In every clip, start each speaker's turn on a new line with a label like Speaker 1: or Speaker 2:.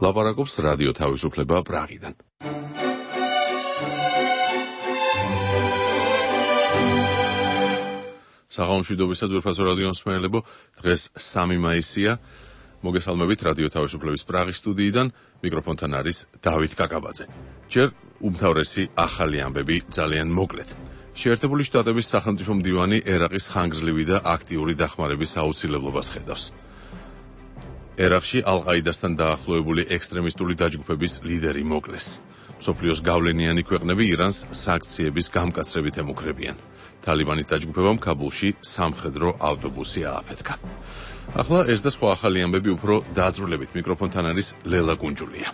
Speaker 1: ლაპარაკობს რადიო თავისუფლება პრაღიდან. საღამომშვიდობისა ძვირფასო რადიო მსმენელებო, დღეს 3 მაისია. მოგესალმებით რადიო თავისუფლების პრაღის სტუდიიდან, მიკროფონთან არის დავით კაკაბაძე. ჯერ უმთავრესი ახალი ამბები ძალიან მოკლედ. შეერთებული შტატების სახელმწიფო მდივანი ერაყის ხანგრძლივი და აქტიური დახმარების აუცილებლობას ხედავს. ერაყში ალ-ყაიდასთან დაახლოებული ექსტრემისტული დაჯგუფების ლიდერი მოკლეს. მსოფლიოს გავლენიანი ქვეყნები ირანს სანქციების გამკაცრებით ემუქრებიან. თალიბანის დაჯგუფებამ ქაბულში სამხედრო ავტობუსი ააფეთქა. ახლა ეს და სხვა ახალი ამბები უფრო დაძრულებით. მიკროფონთან არის ლელა კუნჯულია.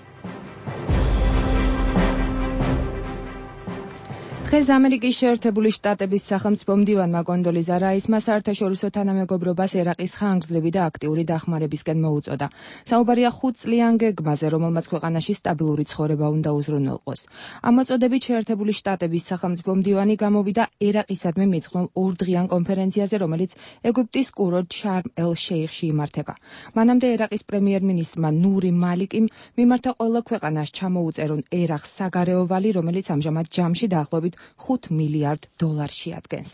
Speaker 2: დღეს ამერიკის შეერთებული შტატების სახელმწიფო მდივანმა კონდოლიზა რაისმა საერთაშორისო თანამეგობრობას ერაყის ხანგრძლივი და აქტიური დახმარებისკენ მოუწოდა. საუბარია 5 წლიან გეგმაზე, რომელმაც ქვეყანაში სტაბილური ცხოვრება უნდა უზრუნველყოს. ამ მოწოდებით შეერთებული შტატების სახელმწიფო მდივანი გამოვიდა ერაყისადმი მიძღვნილ ორდღიან კონფერენციაზე, რომელიც ეგვიპტის კურორტ შარმ-ელ-შეიხში იმართება. მანამდე ერაყის პრემიერ-მინისტრმა ნური მალიკიმ მიმართა ყველა ქვეყანას ჩამოუწერონ ერაყს საგარეო ვალი, რომელიც ამჟამად ჯამში დაახლოებით $5 მილიარდ შეადგენს.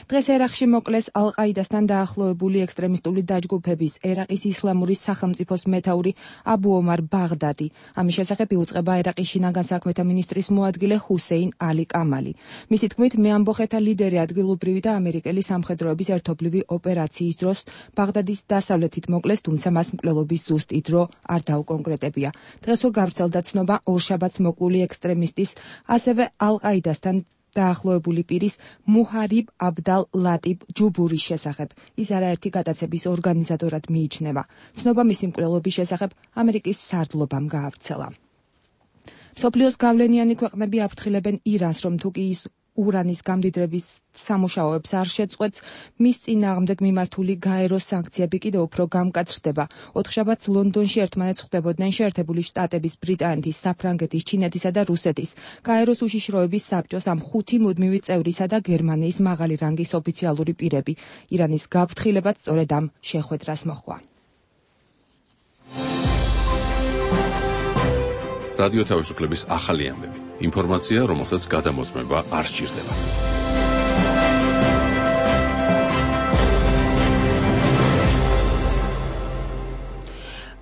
Speaker 2: დღეს ერაყში მოკლეს ალ-ყაიდასთან დაახლოებული ექსტრემისტული დაჯგუფების ერაყის ისლამური სახელმწიფოს მეთაური აბუ ომარ ბაღდადი. ამის შესახებ იუწყება ერაყის შინაგან საქმეთა მინისტრის მოადგილე ჰუსეინ ალი კამალი. მისი თქმით, მეამბოხეთა ლიდერი ადგილობრივი და ამერიკელი სამხედროების ერთობლივი ოპერაციის დროს ბაღდადის დასავლეთით მოკლეს, თუმცა მას მკვლელობის ზუსტი დრო არ დაუკონკრეტებია. დღესვე გავრცელდა ცნობა ორშაბათს მოკლული ექსტრემისტის, ასევე ალ-ყაიდასთან დაახლოებული პირის მუჰარიბ აბდალ ლატიბ ჯუბურის შესახებ. ის არაერთი გადაცემის ორგანიზატორად მიიჩნევა. ცნობა მისი მკვლელობის შესახებ ამერიკის სარდლობამ გაავრცელა. მსოფლიოს გავლენიანი ქვეყნები აფრთხილებენ ირანს, რომ თუ კი ის ურანის გამდიდრების სამუშაოებს არ შეწყვეტს, მის წინააღმდეგ მიმართული გაერო სანქციები კიდევ უფრო გამკაცრდება. ოთხშაბათს ლონდონში ერთმანეთს ხვდებოდნენ შეერთებული შტატების, ბრიტანეთის, საფრანგეთის, ჩინეთისა და რუსეთის გაეროს უშიშროების საბჭოს ამ 5 მუდმივი წევრისა და გერმანიის მაღალი რანგის ოფიციალური პირები. ირანის გაფრთხილებაც სწორედ ამ შეხვედრას მოჰყვა.
Speaker 1: რადიო თავისუფლების ახალი ამბები. ინფორმაცია, რომელსაც გადამოწმება არ სჭირდება.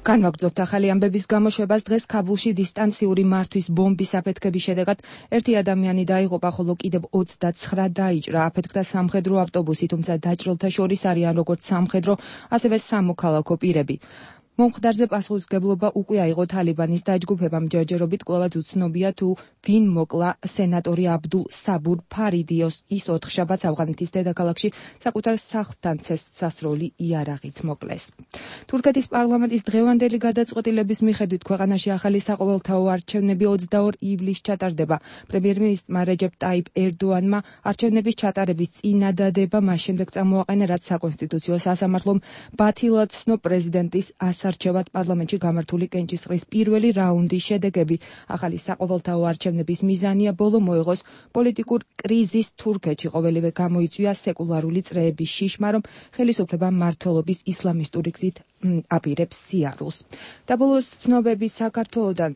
Speaker 2: განვაგრძობთ ახალი ამბების გამოშვებას. დღეს ქაბულში დისტანციური მართვის ბომბის აფეთქების შედეგად ერთი ადამიანი დაიღუპა, ხოლო კიდევ 29 დაიჭრა. აფეთქდა სამხედრო ავტობუსი, თუმცა დაჭრილთა შორის არიან როგორც სამხედრო, ასევე სამოქალაქო პირები. მომხდარზე პასუხისმგებლობა უკვე აიღო თალიბანის დაჯგუფებამ. ჯერჯერობით კვლავაც უცნობია თუ ვინ მოკლა სენატორი აბდულ საბურ ფარიდიოს. ის 4 შაბათს ავღანეთის დედაქალაქში საკუთარ სახლთან სასროლი იარაღით მოკლეს. თურქეთის პარლამენტის დღევანდელი გადაწყვეტილების მიხედვით ქვეყანაში ახალი საყოველთაო არჩევნები 22 ივლისს ჩატარდება. პრემიერ-მინისტრმა რეჯეპ ტაიპ ერდოანმა არჩევნების ჩატარების წინადადება მას შემდეგ წამოაყენა, რაც საკონსტიტუციო სასამართლომ ბათილად ცნო პრეზიდენტის არჩევად პარლამენტში გამართული კენჭისყრის პირველი რაუნდის შედეგები. ახალი საყოველთაო არჩევნების მიზანია ბოლო მოეღოს პოლიტიკურ კრიზისს თურქეთში. ყოველივე გამოიწვია სეკულარული წრეების შიშმა, რომ ხელისუფლება მმართველობის ისლამისტური გზით აპირებს სიარულს. და ბოლოს ცნობები საქართველოდან.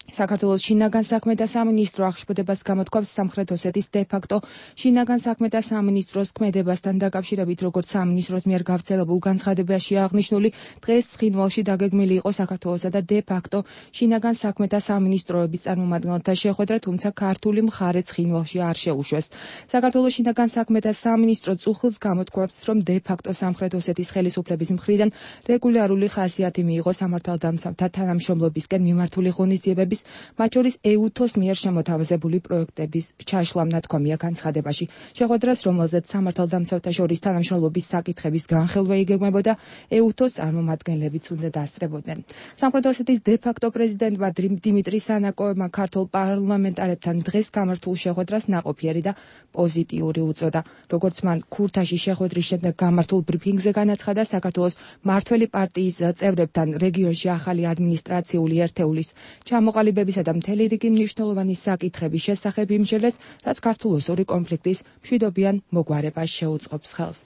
Speaker 2: საქართველოს შინაგან საქმეთა სამინისტრო აღშფოთებას გამოთქვამს სამხრეთ ოსეთის დე-ფაქტო შინაგან საქმეთა სამინისტროს ქმედებასთან დაკავშირებით, როგორც სამინისტროს მიერ გავრცელებულ განცხადებაში აღნიშნული, დღეს ცხინვალში დაგეგმილი იყო საქართველოსა და დე-ფაქტო შინაგან საქმეთა სამინისტროების წარმომადგენელთა შეხვედრა, თუმცა ქართული მხარე ცხინვალში არ შეუშვეს. საქართველოს შინაგან საქმეთა სამინისტრო წუხილს გამოთქვამს, რომ დე-ფაქტო სამხრეთ ოსეთის ხელისუფლების მხრიდან რეგულარული ხასიათი მიიღო სამართალდამცავთა თანამშრომლობისკენ მიმართული ღონისძიებების, მათ შორის ეუთოს მიერ შემოთავაზებული პროექტების ჩაშლამ ნათქვამია განცხადებაში. შეხვედრას, რომელზეც სამართალდამცავთა შორის თანამშრომლობის საკითხების განხელვა იგეგმებოდა, ეუთოს წარმომადგენლებიც უნდა დასწრებოდნენ. სამხრეთ ოსეთის დე-ფაქტო პრეზიდენტმა დიმიტრი სანაკოევმა ქართულ პარლამენტარებთან დღეს გამართულ შეხვედრას ნაყოფიერი და პოზიტიური უწოდა. როგორც მან ქურთაში შეხვედრის შემდეგ გამართულ ბრიფინგზე განაცხადა, საქართველოს მმართველი პარტიის წევრებთან რეგიონში ახალი ადმინისტრაციული ერთეულის ჩამოყალიბებისა და მთელი რიგი მნიშვნელოვანი საკითხების შესახებ იმსჯელეს, რაც ქართულ-ოსური კონფლიქტის მშვიდობიან მოგვარებას შეუწყობს ხელს.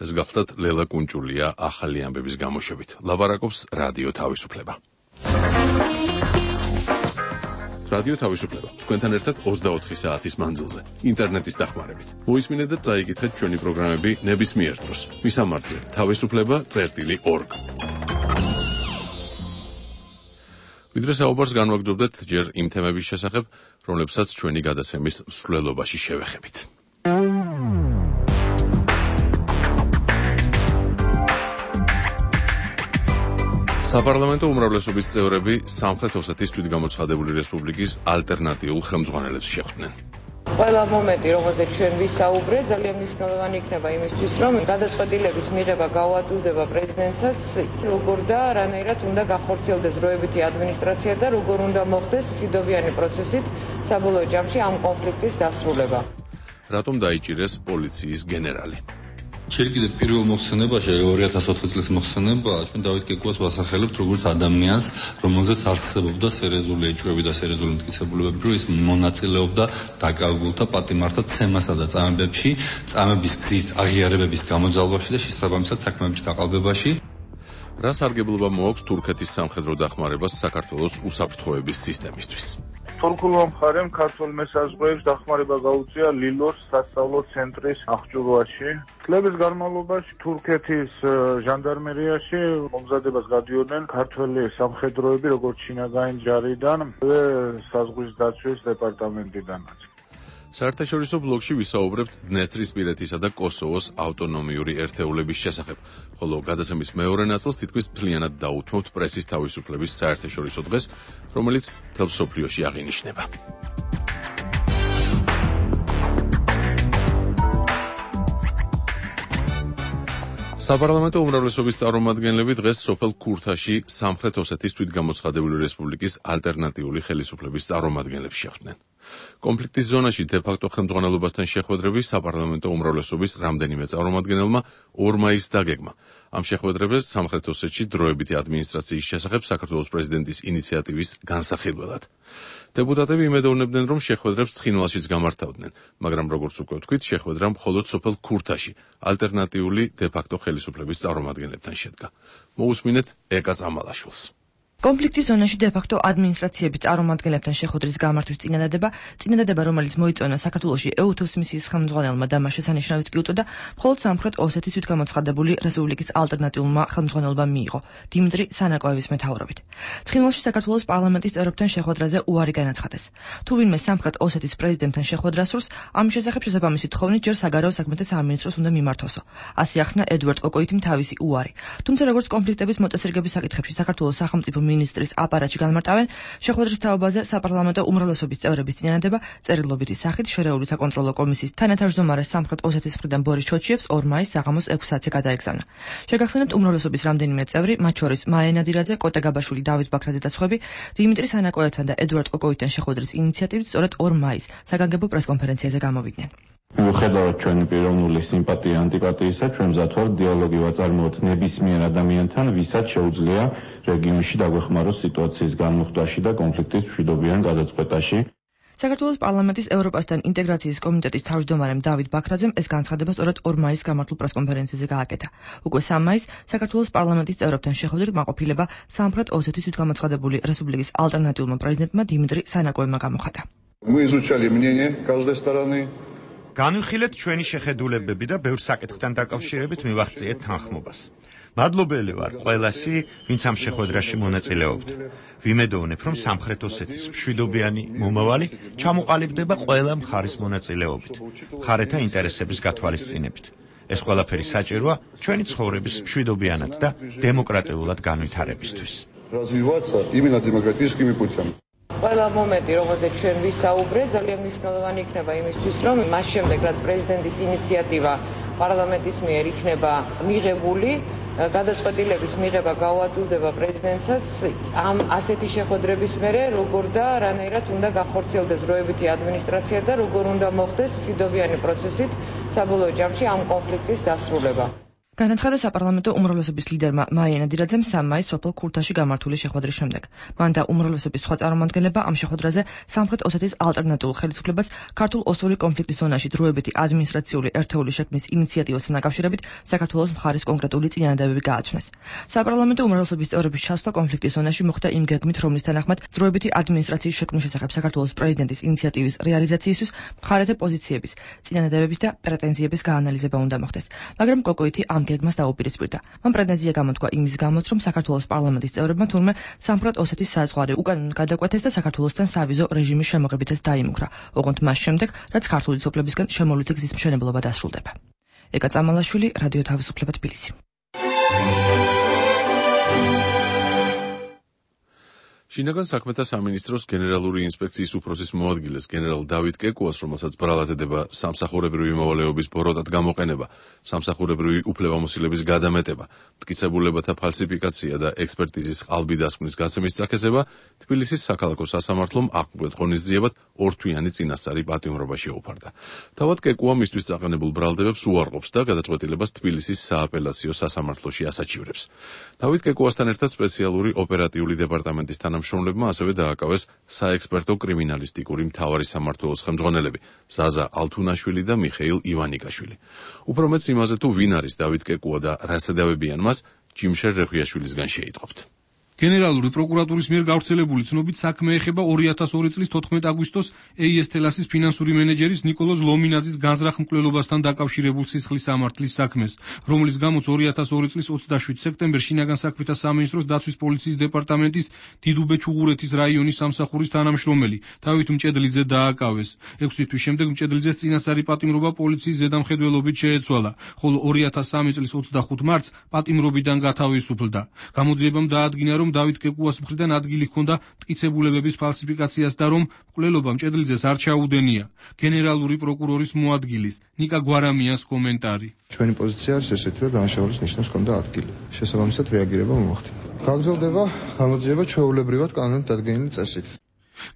Speaker 1: ეს გახლდათ ლელა კუნჭულია ახალი ამბების გამოშვებით. ლაპარაკობს რადიო თავისუფლება. რადიო თავისუფლება. თქვენთან ერთად 24 საათის მანძილზე, ინტერნეტის დახმარებით. მოისმინეთ და წაიკითხეთ ჩვენი პროგრამები ნებისმიერ დროს. მისამართზე თავისუფლება.org. ვიდრე საუბარს განვაგრძობდეთ ჯერ იმ თემების შესახებ, რომლებსაც ჩვენი გადაცემის მსვლელობაში შევეხებით. საპარლამენტო უმრავლესობის წევრები სამხრეთ ოსეთის თვითგამოცხადებული რესპუბლიკის ალტერნატიულ ხელმძღვანელებს შეხვდნენ.
Speaker 3: ყველა მომენტი, რომელზეც ჩვენ ვისაუბრეთ, ძალიან მნიშვნელოვანი იქნება იმისთვის, რომ გადაწყვეტილების მიღება გავადვილდება პრეზიდენტსაც, როგორ და რანაირად უნდა გახორციელდეს დროებითი ადმინისტრაცია და როგორ უნდა მოხდეს მშვიდობიანი პროცესით საბოლოო ჯამში ამ კონფლიქტის დასრულება.
Speaker 1: რატომ დაიჭირეს პოლიციის გენერალი?
Speaker 4: Შეიძლება კიდევ პირველ მოხსენებაში 2004 წლის მოხსენება ჩვენ დავით კეკუას ვასახელებთ როგორც ადამიანს, რომელზეც არსებობდა სერიოზული ეჭვები და სერიოზული მტკიცებულებები, რომ ის მონაწილეობდა დაკავებულთა პატიმართა ცემასა და წამებებში, წამების გზით აღიარებების გამოძალვაში და შესაბამისად საქმეების გაყალბებაში.
Speaker 1: რა სარგებლობა მოაქვს თურქეთის სამხედრო დახმარებას საქართველოს უსაფრთხოების სისტემისთვის?
Speaker 5: თურქულმა მხარემ ქართულ მესაზღვრეებს დახმარება გაუწია ლილოს სასწავლო ცენტრის აღჭურვაში. წლების განმავლობაში თურქეთის ჟანდარმერიაში მომზადებას გადიოდნენ ქართველი სამხედროები, როგორც შინაგანი ჯარიდან და საზღვრის დაცვის დეპარტამენტიდანაც.
Speaker 1: საერთაშორისო ბლოკში ვისაუბრებთ დნესტრისპირეთისა და კოსოვოს ავტონომიური ერთეულების შესახებ, ხოლო გადაცემის მეორე ნაწილს თითქმის მთლიანად დაუთმობთ პრესის თავისუფლების საერთაშორისო დღეს, რომელიც მთელ მსოფლიოში აღინიშნება. საპარლამენტო უმრავლესობის წარმომადგენლები დღეს სოფელ ქურთაში სამხრეთ ოსეთის თვითგამოცხადებული რესპუბლიკის ალტერნატიული ხელისუფლების წარმომადგენლებს შეხვდნენ. კონფლიქტის ზონაში დე-ფაქტო ხელმძღვანელობასთან შეხვედრები საპარლამენტო უმრავლესობის რამდენიმე წარმომადგენელმა 2 მაისს დაგეგმა. ამ შეხვედრებს სამხრეთ ოსეთში დროებითი ადმინისტრაციის შესახებ საქართველოს პრეზიდენტის ინიციატივის განსახილველად. დეპუტატები იმედოვნებდნენ, რომ შეხვედრებს ცხინვალშიც გამართავდნენ, მაგრამ როგორც უკვე ვთქვით, შეხვედრა მხოლოდ სოფელ ქურთაში ალტერნატიული დე-ფაქტო ხელისუფლების წარმომადგენლებთან შედგა. მოусმინეთ ეკა წამალაშვილს.
Speaker 2: კონფლიქტის ზონაში დე-ფაქტო ადმინისტრაციების წარმომადგენლებთან შეხვედრის გამართვის წინადადება, რომელიც მოიწონა საქართველოში EUTOS მისიის ხელმძღვანელმა და მას შესანიშნავიც კი უწოდა, მხოლოდ სამხრეთ ოსეთის თვითგამოცხადებული რესპუბლიკის ალტერნატიულმა ხელმძღვანელობამ მიიღო, დიმიტრი სანაკოევის მეთაურობით. ცხინვალში საქართველოს პარლამენტის წევრებთან შეხვედრაზე უარი განაცხადეს. თუ ვინმე სამხრეთ ოსეთის პრეზიდენტთან შეხვედრას სურს, ამ შესახებ შესაბამისი თხოვნით ჯერ საგარეო საქმეთა სამინისტროს უნდა მიმართოსო. ასე ახსნა ედუარდ კოკოითიმ თავისი უარი. თუმცა როგორც კონფლიქტების მოწესრიგების საკითხებში საქართველოს სახელმწიფო მინისტრის აპარატში განმარტავენ, შეხვედრის თაობაზე საპარლამენტო უმრავლესობის წევრების წინადადება წერილობითი სახით შერეული საკონტროლო კომისიის თანათავმჯდომარე სამხრეთ ოსეთის მხრიდან ბორის ჩოჩიევს 2 მაისს საღამოს 6 საათზე გადაეგზავნა. შეგახსენებთ, უმრავლესობის რამდენიმე წევრი, მათ შორის მაია ნადირაძე, კოტე გაბაშვილი, დავით ბაქრაძე და სხვები, დიმიტრი სანაკოევთან და ედუარდ კოკოვითთან შეხვედრის ინიციატივით სწორედ 2 მაისს საგანგებო პრესკონფერენციაზე გამოვიდნენ.
Speaker 6: მიუხედავად ჩვენი პიროვნული სიმპათია ანტიპათიისა, ჩვენ მზად ვართ დიალოგი ვაწარმოოთ ნებისმიერ ადამიანთან, ვისაც შეუძლია რეგიონში დაგვეხმაროს სიტუაციის განმუხტვაში და კონფლიქტის მშვიდობიან გადაწყვეტაში.
Speaker 2: საქართველოს პარლამენტის ევროპასთან ინტეგრაციის კომიტეტის თავმჯდომარემ დავით ბაქრაძემ ეს განცხადება სწორედ 2 მაისს გამართულ პრესკონფერენციაზე გააკეთა. უკვე 3 მაისს საქართველოს პარლამენტის წევრებთან შეხვედრით მაყოფილება სამხრეთ ოსეთის თვითგამოცხადებული რესპუბლიკის ალტერნატიულმა პრეზიდენტმა დიმიტრი სანაკოევმა გამოხატა.
Speaker 7: Мы изучали мнение каждой стороны.
Speaker 8: განვიხილეთ ჩვენი შეხედულებები და ბევრ საკითხთან დაკავშირებით მივახციეთ თანხმობას. მადლობელი ვარ ყველასი, ვინც ამ შეხვედრაში მონაწილეობდა. ვიმედოვნებ, რომ სამხრეთ ოსეთის მშვიდობიანი მომავალი ჩამოყალიბდება ყველა მხარის მონაწილეობით, მხარეთა ინტერესების გათვალისწინებით. ეს ყველაფერი საჭიროა ჩვენი ცხოვრების მშვიდობიანად და დემოკრატიულად განვითარებისთვის.
Speaker 7: Развиваться именно демократическими путями.
Speaker 3: ყველა მომენტი, რომელზეც ჩვენ ვისაუბრეთ, ძალიან მნიშვნელოვანი იქნება იმისთვის, რომ მას შემდეგ, რაც პრეზიდენტის ინიციატივა პარლამენტის მიერ იქნება მიღებული, გადაწყვეტილების მიღება გავადვილდება პრეზიდენტსაც ამ ასეთი შეხვედრების მერე, როგორ და რანაირად უნდა გახორციელდეს დროებითი ადმინისტრაცია და როგორ უნდა მოხდეს მშვიდობიანი პროცესით საბოლოო ჯამში ამ კონფლიქტის დასრულება.
Speaker 9: განაცხადა საპარლამენტო უმრავლესობის ლიდერმა მაია ნადირაძემ 3 მაისს სოფელ ქურთაში გამართული შეხვედრის შემდეგ. მან და უმრავლესობის სხვა წარმომადგენლებმა ამ შეხვედრაზე სამხრეთ ოსეთის ალტერნატიულ ხელისუფლებას ქართულ ოსური კონფლიქტის ზონაში დროებითი ადმინისტრაციული ერთეული შექმნის ინიციატივასთან დაკავშირებით საქართველოს მხარის კონკრეტული წინადადებები გააცნეს. საპარლამენტო უმრავლესობის წევრების ჩასვლა კონფლიქტის ზონაში მოხდა იმ გეგმით, რომლის თანახმად დროებითი ადმინისტრაციის შექმნის შესახებ საქართველოს პრეზიდენტის ინიციატივის რეალიზაციისთვის მხარეთა პოზიციების, წინადადებების და პრეტენზიების გაანალიზება უნდა მოხდეს. მაგრამ კოკოითი ამ გეგმას დაუპირისპირდა. მან პრეტენზია გამოთქვა იმის გამოც, რომ საქართველოს პარლამენტის წევრებმა თურმე სამხრეთ ოსეთის საზღვარი უკანონოდ გადაკვეთეს და საქართველოსთან სავიზო რეჟიმის შემოღებითაც დაიმუქრა, ოღონდ მას შემდეგ, რაც ქართული სოფლებისგან შემოვლითი გზის მშენებლობა დასრულდება. ეკა წამალაშვილი, რადიო თავისუფლება თბილისი.
Speaker 1: შინაგან საქმეთა სამინისტროს გენერალური ინსპექციის უფროსის მოადგილეს გენერალ დავით კეკუას, რომელსაც ბრალად ედება სამსახურებრივი მოვალეობის ბოროტად გამოყენება, სამსახურებრივი უფლებამოსილების გადამეტება, მტკიცებულებათა ფალსიფიკაცია და ექსპერტიზის ყალბი დასკვნის გასცემის წაქეზება, თბილისის საქალაქო სასამართლომ აღკვეთ ღონისძიებად 2 თვიანი წინასწარი პატიმრობა შეუფარდა. თავად კეკუა მისთვის წაყენებულ ბრალდებებს უარყოფს და გადაწყვეტილებას თბილისის სააპელაციო სასამართლოში ასაჩივრებს. დავით კეკუასთან ერთად სპეციალური ოპერატიული დეპარტამენტის თანამშრომლებმა ასევე დააკავეს საექსპერტო კრიმინალისტიკური მთავარი სამმართველოს ხელმძღვანელები ზაზა ალთუნაშვილი და მიხეილ ივანიკაშვილი. უფრო მეც იმაზე თუ ვინ არის დავით კეკუა და რას ედავებიან მას, ჯიმშერ რეხვიაშვილისგან შეიტყობთ.
Speaker 10: გენერალური პროკურატურის მიერ გავრცელებული ცნობით საქმე ეხება 2002 წლის 14 აგვისტოს EIS თელასის ფინანსური მენეჯერის ნიკოლოზ ლომინაძის განზრახ მკვლელობასთან დაკავშირებულ სისხლის სამართლის საქმეს, რომლის გამოც 2002 წლის 27 სექტემბერს შინაგან საქმეთა სამინისტროს დაცვის პოლიციის დეპარტამენტის დიდუბე-ჩუღურეთის რაიონის სამსახურის თანამშრომელი დავით მჭედლიძე დააკავეს. 6 თვის შემდეგ მჭედლიძეს წინასწარი პატიმრობა პოლიციის ზედამხედველობით შეეცვალა, ხოლო 2003 წლის 25 მარტს პატიმრობიდან გათავისუფლდა. გამოძიებამ დაადგინა, რომ დავით კეკუას მხრიდან ადგილი ჰქონდა მტკიცებულებების ფალსიფიკაციას და რომ მკვლელობა მჭედლიძეს არ ჩაუდენია. გენერალური პროკურორის მოადგილის ნიკა გვარამიას კომენტარი.
Speaker 11: ჩვენი პოზიცია არის ესეთი, რომ დანაშაულის ნიშნებს ჰქონდა ადგილი. შესაბამისად რეაგირება მოახდინა. გაგრძელდება გამოძიება ჩვეულებრივად კანონით დადგენილი წესით.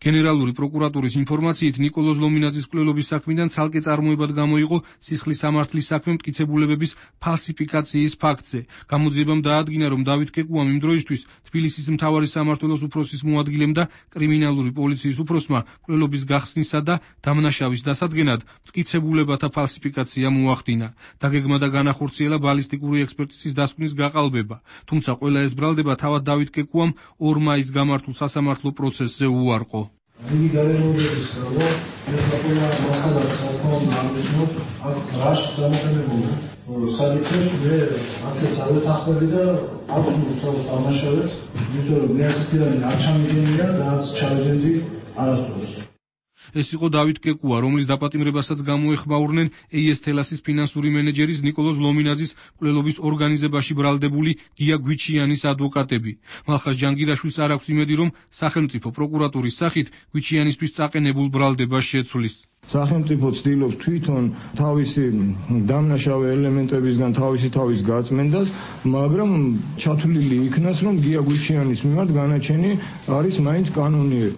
Speaker 10: გენერალური პროკურატურის ინფორმაციით ნიკოლოზ ლომინაძის მკვლელობის საქმიდან ცალკე წარმოებად გამოიყო სისხლის სამართლის საქმე მტკიცებულებების ფალსიფიკაციის ფაქტზე. გამოძიებამ დაადგინა, რომ დავით კეკუამ იმ დროისთვის თბილისის მთავარი სამმართველოს უფროსის მოადგილემ და კრიმინალური პოლიციის უფროსმა მკვლელობის გახსნისა და დამნაშავის დასადგენად მტკიცებულებათა ფალსიფიკაცია მოახდინა. დაგეგმა და განახორციელა ბალისტიკური ექსპერტიზის დასკვნის გაყალბება. თუმცა ყველა ეს ბრალდება თავად დავით კეკუამ 2 მაისს გამართულ სასამართლო პროცესზე უარყო.
Speaker 12: იგი გარემოების გამო მეფრატულა მასალას ხალხმა აღნიშნოთ აქ რაშ წარმოქმნებული საკითხებს მე აქცეც არ ვეთანხმები და აქვს უბრალოდ დამნაშავედ, იმიტომ რომ მე ასეთიანი არ ჩამიგენია და არც ჩავეძენდი არასდროს.
Speaker 10: ეს იყო დავით კეკუა, რომლის დაპატიმრებასაც გამოეხმაურნენ EIS თელასის ფინანსური მენეჯერის ნიკოლოზ ლომინაძის მკვლელობის ორგანიზებაში ბრალდებული გია გვიჩიანის ადვოკატები. მალხაზ ჯანგირაშვილს არ აქვს იმედი, რომ სახელმწიფო პროკურატურის სახით გვიჩიანისთვის წაყენებულ ბრალდებას შეცვლის.
Speaker 13: სახელმწიფო ცდილობს თვითონ თავისი დამნაშავე ელემენტებისგან თავის გაწმენდას, მაგრამ ჩათვლილი იქნას, რომ გია გვიჩიანის მიმართ განაჩენი არის მაინც კანონიერი.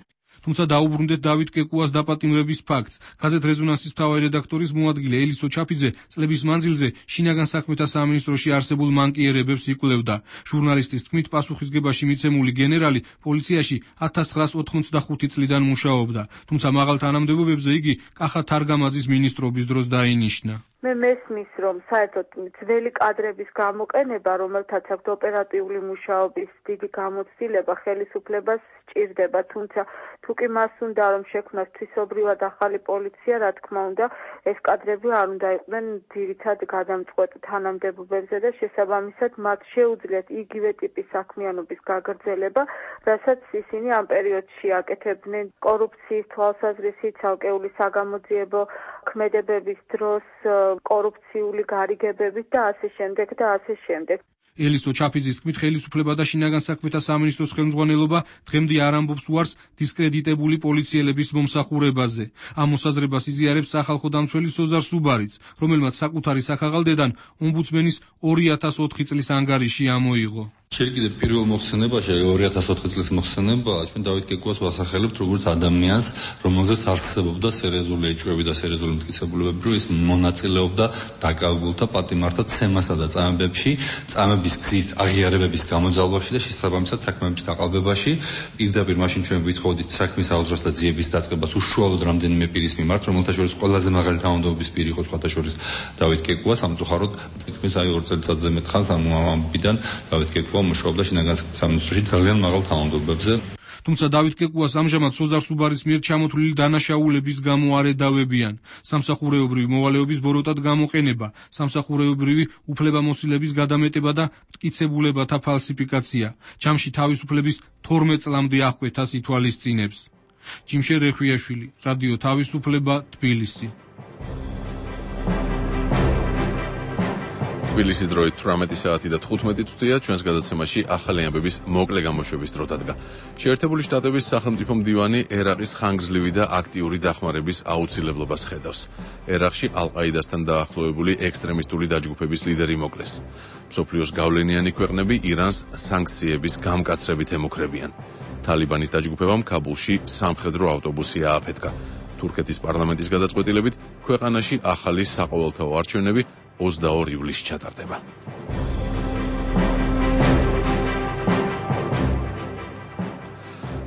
Speaker 10: თუმცა დაუბრუნდეთ დავით კეკუას დაპატიმრების ფაქტს. გაზეთ რეზონანსის მთავარი რედაქტორის მოადგილე ელისო ჩაფიძე წლების მანძილზე შინაგან საქმეთა სამინისტროში არსებულ მანკიერებებს იკვლევდა. ჟურნალისტის თქმით, პასუხისგებაში მიცემული გენერალი პოლიციაში 1985 წლიდან მუშაობდა, თუმცა მაღალ თანამდებობებზე იგი კახა თარგამაძის მინისტრობის დროს დაინიშნა.
Speaker 14: მე მესმის, რომ საერთოდ ძველი კადრების გამოყენება, რომელთაც აქვთ ოპერატიული მუშაობის დიდი გამოცდილება, ხელისუფლებას სჭირდება, თუმცა თუ კი მას უნდა რომ შექმნას თვისობრივად ახალი პოლიცია, რა თქმა უნდა, ეს კადრები არ უნდა იყვნენ ძირითად გადამწყვეტ თანამდებობებზე და შესაბამისად მათ შეუძლიათ იგივე ტიპის საქმიანობის გაგრძელება, რასაც ისინი ამ პერიოდში აკეთებდნენ კორუფციის თვალსაზრისით, ცალკეული საგამოძიებო ქმედებების დროს, კორუფციული გარიგებებით და ასე შემდეგ.
Speaker 10: ელისო ჩაფიძის თქმით, ხელისუფლება და შინაგან საქმეთა სამინისტროს ხელმძღვანელობა დღემდე არ ამბობს უარს დისკრედიტებული პოლიციელების მომსახურებაზე. ამ მოსაზრებას იზიარებს სახალხო დამცველი სოზარ სუბარიც, რომელმაც საკუთარი საქაღალდედან ომბუდსმენის 2004 წლის ანგარიში ამოიღო.
Speaker 4: ჯერ კიდევ პირველ მოხსენებაში 2004 წლის მოხსენებაა ჩვენ დავით კეკუას ვასახელებთ როგორც ადამიანს, რომელზეც არსებობდა სერიოზული ეჭვები და სერიოზული მტკიცებულებები, რომ ის მონაწილეობდა დაკავებულთა პატიმართა ცემასა და წამებებში, წამების გზით აღიარებების გამოძალვაში და შესაბამისად საქმეების გაყალბებაში. პირდაპირ მაშინ ჩვენ ვითხოვდით საქმის აღძრას და ძიების დაწყებას უშუალოდ რამდენიმე პირის მიმართ, რომელთა შორის ყველაზე მაღალი თანამდებობის პირი იყო სხვათა შორის დავით კეკუა. სამწუხაროდ თითქმის 2 წელიწადზე მეტ ხანს ამ ამბიდან დავით კეკუა მუშაობდა შინაგან სამინისტროში ძალიან მაღალ თანამდებობებზე.
Speaker 10: თუმცა დავით კეკუას ამჟამად სოზარ სუბარის მიერ ჩამოთვლილი დანაშაულების გამო არ ედავებიან. სამსახურეობრივი მოვალეობის ბოროტად გამოყენება, სამსახურეობრივი უფლებამოსილების გადამეტება და მტკიცებულებათა ფალსიფიკაცია. ჯამში თავისუფლების 12 წლამდე აღკვეთა ითვალისწინებს. ჯიმშე რეხვიაშვილი, რადიო თავისუფლება, თბილისი.
Speaker 1: თბილისის დროით 18 საათი და 15 წუთია. ჩვენს გადაცემაში ახალი ამბების მოკლე გამოშვების დრო დადგა. შეერთებული შტატების სახელმწიფო მდივანი ერაყის ხანგრძლივი და აქტიური დახმარების აუცილებლობას ხედავს. ერაყში ალ-ყაიდასთან დაახლოებული ექსტრემისტული დაჯგუფების ლიდერი მოკლეს. მსოფლიოს გავლენიანი ქვეყნები ირანს სანქციების გამკაცრებით ემუქრებიან. თალიბანის დაჯგუფებამ ქაბულში სამხედრო ავტობუსი ააფეთქა. თურქეთის პარლამენტის გადაწყვეტილებით ქვეყანაში ახალი საყოველთაო არჩევნები 22 ივლისს ჩატარდება.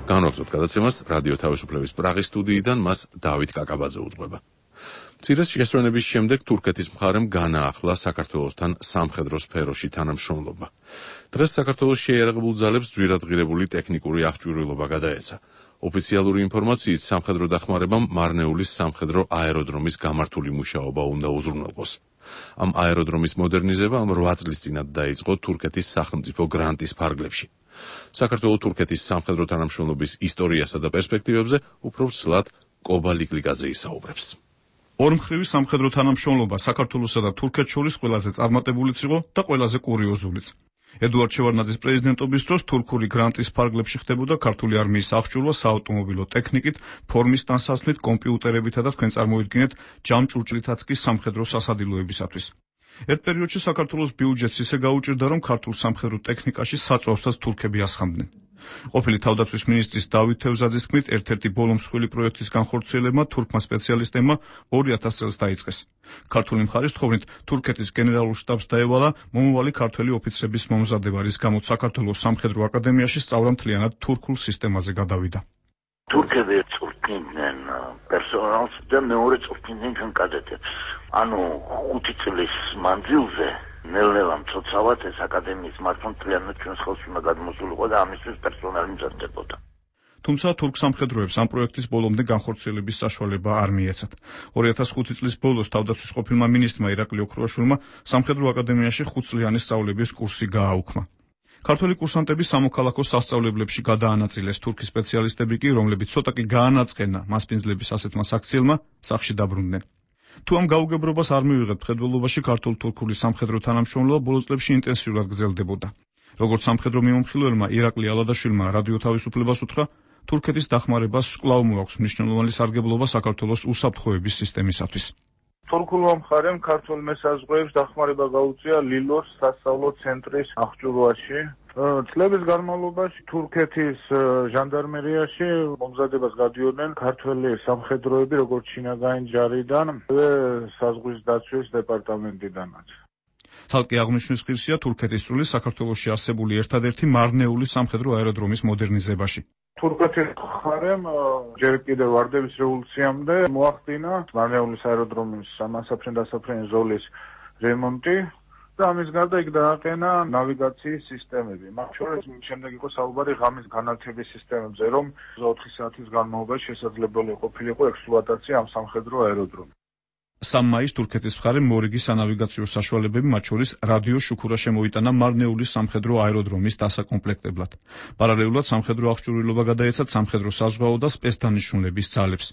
Speaker 1: განვაგრძობთ გადაცემას რადიო თავისუფლების პრაღის სტუდიიდან, მას დავით კაკაბაძე უძღვება. მცირე შესვენების შემდეგ თურქეთის მხარემ განაახლა საქართველოსთან სამხედრო სფეროში თანამშრომლობა. დღეს საქართველოს შეიარაღებულ ძალებს ძვირადღირებული ტექნიკური აღჭურვილობა გადაეცა. ოფიციალური ინფორმაციით სამხედრო დახმარებამ მარნეულის სამხედრო აეროდრომის გამართული მუშაობა უნდა უზრუნველყოს. ამ აეროდრომის მოდერნიზება 8 წლის წინათ დაიწყო თურქეთის სახელმწიფო გრანტის ფარგლებში. საქართველოს თურქეთის სამხედრო თანამშრომლობის ისტორიასა და პერსპექტივებზე უფრო სლად კობალიკლიკაძე ისაუბრებს.
Speaker 15: ორმხრივი სამხედრო თანამშრომლობა საქართველოსა და თურქეთს შორის ყველაზე წარმატებულიც იყო და ყველაზე კურიოზულიც. ედუარდ შევარდნაძის პრეზიდენტობის დროს თურქული გრანტის ფარგლებში ხდებოდა ქართული არმიის აღჭურვა საავტომობილო ტექნიკით, ფორმის ტანსაცმლით, კომპიუტერებითა და თქვენ წარმოიდგინეთ ჯამჭურჭლითაც კი სამხედრო სასადილოებისათვის. ერთ პერიოდში საქართველოს ბიუჯეტს ისე გაუჭირდა, რომ ქართულ სამხედრო ტექნიკაში საწვავსაც თურქები ასხამდნენ. ყოფილი თავდაცვის მინისტრის დავით თევზაძის თქმით, ერთ-ერთი ბოლო მსხვილი პროექტის განხორციელებმა თურქმა სპეციალისტებმა 2000 წელს დაიწყეს. ქართული მხარის თხოვნით თურქეთის გენერალურ შტაბს დაევალა მომავალი ქართველი ოფიცრების მომზადება, რის გამოც საქართველოს სამხედრო აკადემიაში სწავლა მთლიანად თურქულ სისტემაზე გადავიდა.
Speaker 16: თურქები წვრთნიდნენ პერსონალს და მეორე წვრთნიდნენ ჩვენ კადეტებს. ანუ 5 წლის მანძილზე ნელ-ნელა მცოცავად ეს აკადემიის მართვა მთლიანად ჩვენს ხელში უნდა გადმოსულიყო და ამისთვის პერსონალი მზადდებოდა.
Speaker 15: თუმცა თურქ სამხედროებს ამ პროექტის ბოლომდე განხორციელების საშუალება არ მიეცათ. 2005 წლის ბოლოს თავდაცვის ყოფილმა მინისტრმა ირაკლი ოქროაშვილმა სამხედრო აკადემიაში 5 წლიანი სწავლების კურსი გააუქმა. ქართველი კურსანტები სამოქალაქო სასწავლებლებში გადაანაწილეს, თურქი სპეციალისტები კი, რომლებიც ცოტა კი გაანაწყენა მასპინძლების ასეთმა საქციელმა, სახლში დაბრუნდნენ. თუ ამ გაუგებრობას არ მივიღებთ ხედველობაში, ქართულ-თურქული სამხედრო თანამშრომლობა ბოლო წლებში ინტენსიურად გრძელდებოდა. როგორც სამხედრო მიმომხილველმა ირაკლი ალადაშვილმა რადიო თავისუფლებას უთხრა, თურქეთის დახმარებას კვლავ მოაქვს მნიშვნელოვანი სარგებლობა საქართველოს უსაფრთხოების სისტემისათვის.
Speaker 5: თურქულმა მხარემ ქართულ მესაზღვრეებს დახმარება გაუწია ლილოს სასწავლო ცენტრის აღჭურვაში. წლების განმავლობაში თურქეთის ჟანდარმერიაში მომზადებას გადიოდნენ ქართველი სამხედროები, როგორც შინაგანი ჯარიდან, საზღვრის დაცვის დეპარტამენტიდანაც.
Speaker 15: ცალკე აღნიშნვის ღირსია თურქეთის წვლილი საქართველოში არსებული ერთადერთი მარნეული სამხედრო აეროდრომის მოდერნიზებაში.
Speaker 5: თურქეთის მხარემ ჯერ კიდევ ვარდების რევოლუციამდე მოახდინა მარნეულის აეროდრომის სამასაფრენ-დასაფრენი ზოლის რემონტი და ამის გარდა იქ დააყენა ნავიგაციის სისტემები. მათ შორის შემდეგ იყო საუბარი ღამის განათების სისტემებზე, რომ 4 საათის განმავლობაში შესაძლებელი ყოფილიყო ექსპლუატაცია ამ სამხედრო აეროდრომის.
Speaker 15: 3 მაისს თურქეთის მხარემ მორიგი სანავიგაციო საშუალებები, მათ შორის რადიო შუქურა შემოიტანა მარნეულის სამხედრო აეროდრომის დასაკომპლექტებლად. პარალელურად სამხედრო აღჭურვილობა გადაეცა სამხედრო საზღვაო და სპეცდანიშნულების ძალებს.